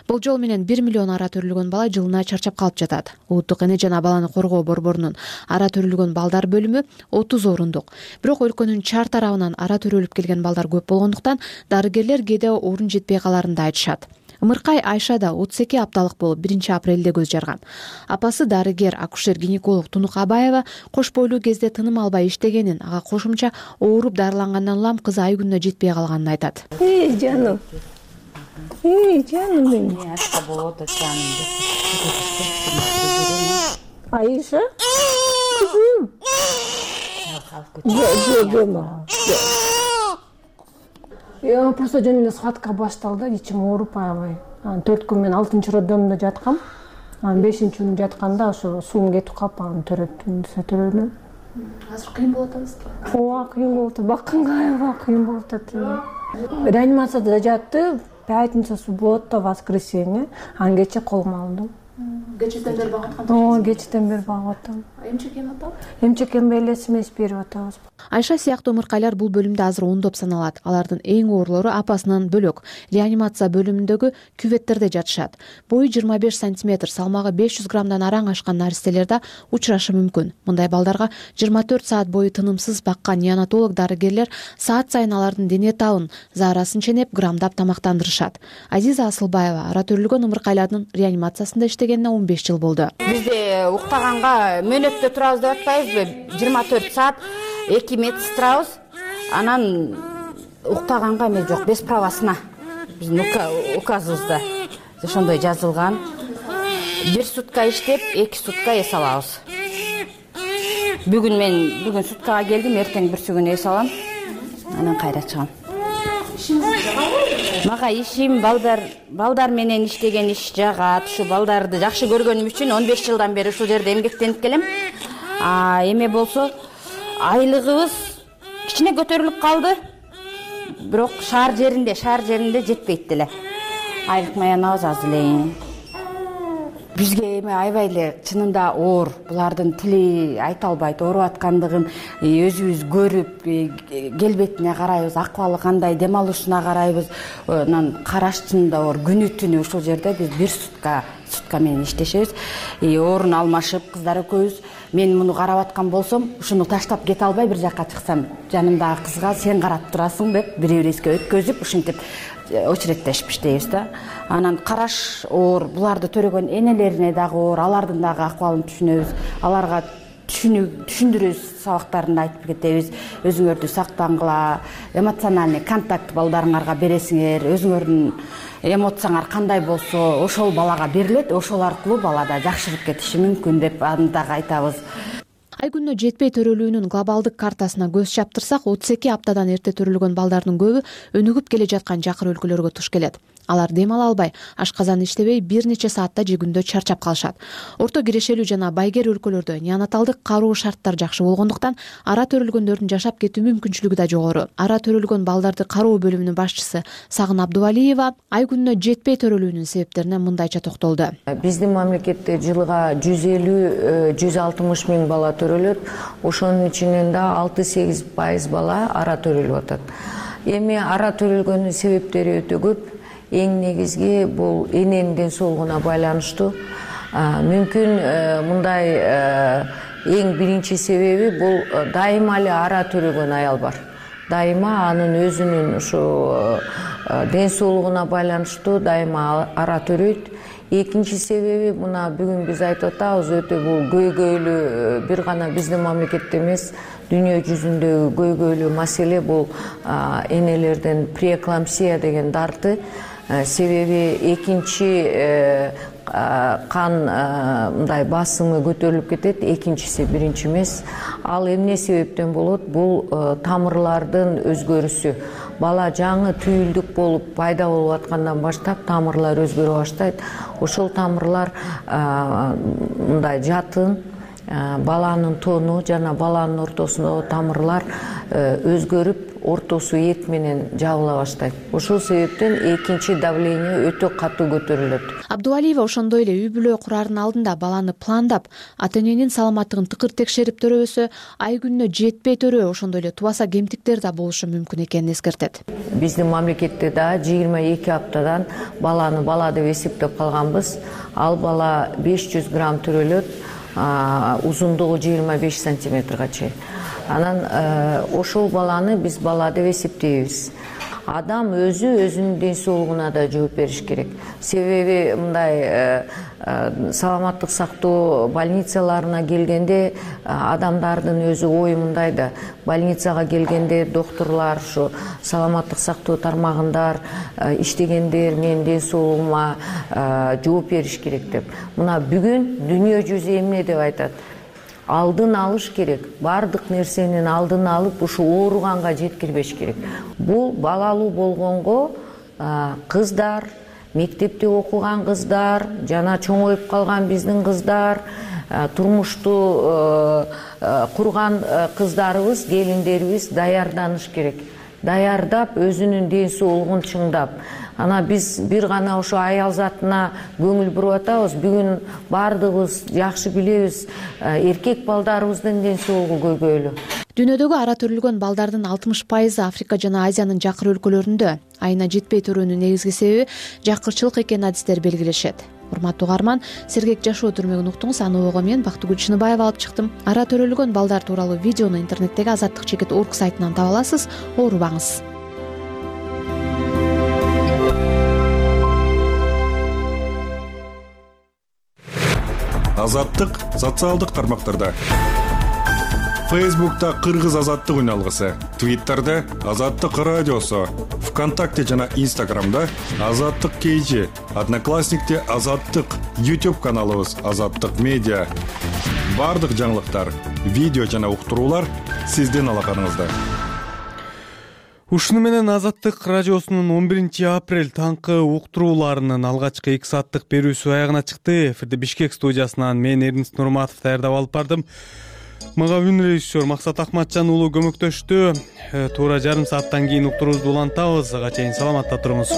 Болжол менен бир миллион ара төрөлгөн бала жылына чарчап калып жатат. Улуттук эне жана баланы коргоо борборунун ара төрөлгөн балдар бөлүмү отуз орундук. Бирок өлкөнүн чар тарабынан ара төрөлүп келген балдар көп болгондуктан дарыгерлер кээде орун жетпей каларын да айтышат. Ымыркай Айша да отуз эки апталык болуп биринчи апрелде көз жарган. Апасы дарыгер, акушер-гинеколог Тунук Абаева кош бойлуу кезде тыным албай иштегенин, ага кошумча ооруп дарылангандан улам кызы ай күнүнө жетпей калганын айтат. Эй, жаным. Эй, жаным менин. Айша? Кызым. Я просто жөн эле схватка башталды, ичим ооруп аябай. Анан төрт күн мен алтынчы роддомдо жаткам. Анан бешинчи күнү жатканда ошо суум кетип калып, анан төрөттүм, төрөлдүм. Азыр кыйын болуп атабызбы? Ооба, кыйын болуп атат. Бакканга аябай кыйын болуп атат. Реанимацияда жатты, пятница, суббота, воскресенье. Анан кече колума алдым. Кечеден бери багып аткан. Ооба, кечеден бери багып атам. Эмчек эми атабы? Эмчек эми элес эмес берип атабыз. Айша сыяктуу ымыркайлар бул бөлүмдө азыр ондоп саналат. Алардын эң оорлору апасынан бөлөк реанимация бөлүмүндөгү кюветтерде жатышат. Бою жыйырма беш сантиметр, салмагы беш жүз граммдан араң ашкан наристелер да учурашы мүмкүн. Мындай балдарга жыйырма төрт саат бою тынымсыз баккан неонатолог дарыгерлер саат сайын алардын дене табын, заарасын ченеп, грамдап тамактандырышат. Азиза Асылбаева ара төрөлгөн ымыркайлардын реанимациясында иштегенине он беш жыл болду. Бизде уктаганга мөөнөттө турабыз деп атпайбызбы? жыйырма төрт саат эки медсестрабыз. Анан уктаганга эме жок, без правасына. Биздин указыбызда ошондой жазылган. Бир сутка иштеп, эки сутка эс алабыз. Бүгүн мен бүгүн суткага келдим, эртең бүрсүгүн эс алам. Анан кайра чыгам. Мага ишим балдар балдар менен иштеген иш жагат. Ушу балдарды жакшы көргөнүм үчүн он беш жылдан бери ушул жерде эмгектенип келем. А эме болсо айлыгыбыз кичине көтөрүлүп калды, бирок шаар жеринде шаар жеринде жетпейт деле. Айлык маянабыз аз эле. Бизге эми аябай эле чынында оор. Булардын тили айта албайт, ооруп аткандыгын өзүбүз көрүп, келбетине карайбыз, акыбалы кандай, дем алышына карайбыз. Анан караш чынында оор. Күнү түнү ушул жерде биз бир сутка сутка менен иштешебиз. Орун алмашып, кыздар экөөбүз. Мен муну карап аткан болсом, ушуну таштап кете албай бир жакка чыксам, жанымдагы кызга сен карап турасың деп бири бирибизге өткөзүп, ушинтип очереттешип иштейбиз да. Анан караш оор, буларды төрөгөн энелерине дагы оор, алардын дагы акыбалын түшүнөбүз. Аларга түшүндүрүүбүз сабактарында айтып кетебиз. Өзүңөрдү сактангыла, эмоциональный контакт балдарыңарга бересиңер, өзүңөрдүн эмоцияңар кандай болсо, ошол балага берилет, ошол аркылуу балада жакшырып кетиши мүмкүн деп аны дагы айтабыз. Ай күнүнө жетпей төрөлүүнүн глобалдык картасына көз чаптырсак, отуз эки аптадан эрте төрөлгөн балдардын көбү өнүгүп келе жаткан жакыр өлкөлөргө туш келет. Алар дем ала албай, ашказан иштебей бир нече саатта же күндө чарчап калышат. Орто кирешелүү жана байгер өлкөлөрдө неонаталдык кароо шарттар жакшы болгондуктан ара төрөлгөндөрдүн жашап кетүү мүмкүнчүлүгү да жогору. Ара төрөлгөн балдарды кароо бөлүмүнүн башчысы Сагын Абдувалиева ай күнүнө жетпей төрөлүүнүн себептерине мындайча токтолду. Биздин мамлекетте жылга жүз элүү жүз алтымыш миң бала төрөлөт. Ошонун ичинен да алты сегиз пайыз бала ара төрөлүп атат. Эми ара төрөлгөнүн себептери өтө көп. Эң негизги бул эненин ден соолугуна байланыштуу. Мүмкүн мындай эң биринчи себеби бул дайыма эле ара төрөгөн аял бар. Дайыма анын өзүнүн ушу ден соолугуна байланыштуу дайыма ара төрөйт. Экинчи себеби мына бүгүн биз айтып атабыз, өтө бул көйгөйлүү, бир гана биздин мамлекетте эмес, дүйнө жүзүндөгү көйгөйлүү маселе бул энелерден преэклампсия деген дарты. Себеби экинчи кан мындай басымы көтөрүлүп кетет, экинчиси биринчи эмес. Ал эмне себептен болот? Бул тамырлардын өзгөрүшү. Бала жаңы түйүлдүк болуп пайда болуп аткандан баштап тамырлар өзгөрө баштайт. Ошол тамырлар мындай жатын, баланын тону жана баланын ортосундагы тамырлар өзгөрүп, ортосу эт менен жабыла баштайт. Ошол себептен экинчи давление өтө катуу көтөрүлөт. Абдувалиева ошондой эле үй бүлө курардын алдында баланы пландап, ата-эненин саламаттыгын тыкыр текшерип төрөбөсө, ай күнүнө жетпей төрөө, ошондой эле тубаса кемтиктер да болушу мүмкүн экенин эскертет. Биздин мамлекетте да жыйырма эки аптадан баланы бала деп эсептеп калганбыз. Ал бала беш жүз грамм төрөлөт, узундугу жыйырма беш сантиметрге чейин. Анан ошол баланы биз бала деп эсептейбиз. Адам өзү өзүнүн ден соолугуна да жооп бериш керек. Себеби мындай саламаттык сактоо больницаларына келгенде адамдардын өзү ою мындай да, больницага келгенде докторлор, ушу саламаттык сактоо тармагындар иштегендер менин ден соолугума жооп бериш керек деп. Мына бүгүн дүйнө жүзү эмне деп айтат? Алдын алыш керек. Бардык нерсенин алдын алып, ушу ооруганга жеткирбеш керек. Бул балалуу болгонго кыздар, мектепте окуган кыздар, жана чоңоюп калган биздин кыздар, турмушту курган кыздарыбыз, келиндерибиз даярданыш керек. Даярдап, өзүнүн ден соолугун чыңдап. Ана биз бир гана ошо аял затына көңүл буруп атабыз. Бүгүн бардыгыбыз жакшы билебиз, эркек балдарыбыздын ден соолугу көйгөйлүү. Дүйнөдөгү ара төрөлгөн балдардын алтымыш пайызы Африка жана Азиянын жакыр өлкөлөрүндө. Айына жетпей төрөөнүн негизги себеби жакырчылык экенин адистер белгилешет. Урматтуу угарман, сергек жашоо түрмөгүн уктуңуз. Аны ого мен Бактыгүл Чыныбаева алып чыктым. Ара төрөлгөн балдар тууралуу видеону интернеттеги азаттык чекит точка орг сайтынан таба аласыз. Оорубаңыз. Азаттык социалдык тармактарда. Фейсбукта Кыргыз азаттык үналгысы, Твиттерде Азаттык радиосу, ВКонтакте жана Инстаграмда Азаттык кейжи, Одноклассникте Азаттык, YouTube каналыбыз Азаттык медиа. Бардык жаңылыктар, видео жана уктуруулар сиздин алаканыңызда. Ушуну менен Азаттык радиосунун он биринчи апрель таңкы уктурууларынын алгачкы эки сааттык берүүсү аягына чыкты. Эфирде Бишкек студиясынан мен Эрнис Нурматов даярдап алып бардым. мага үн режиссер Максат Акматжан уулу көмөктөштү. Туура жарым сааттан кийин уктуруубузду улантабыз. Ага чейин саламатта туруңуз.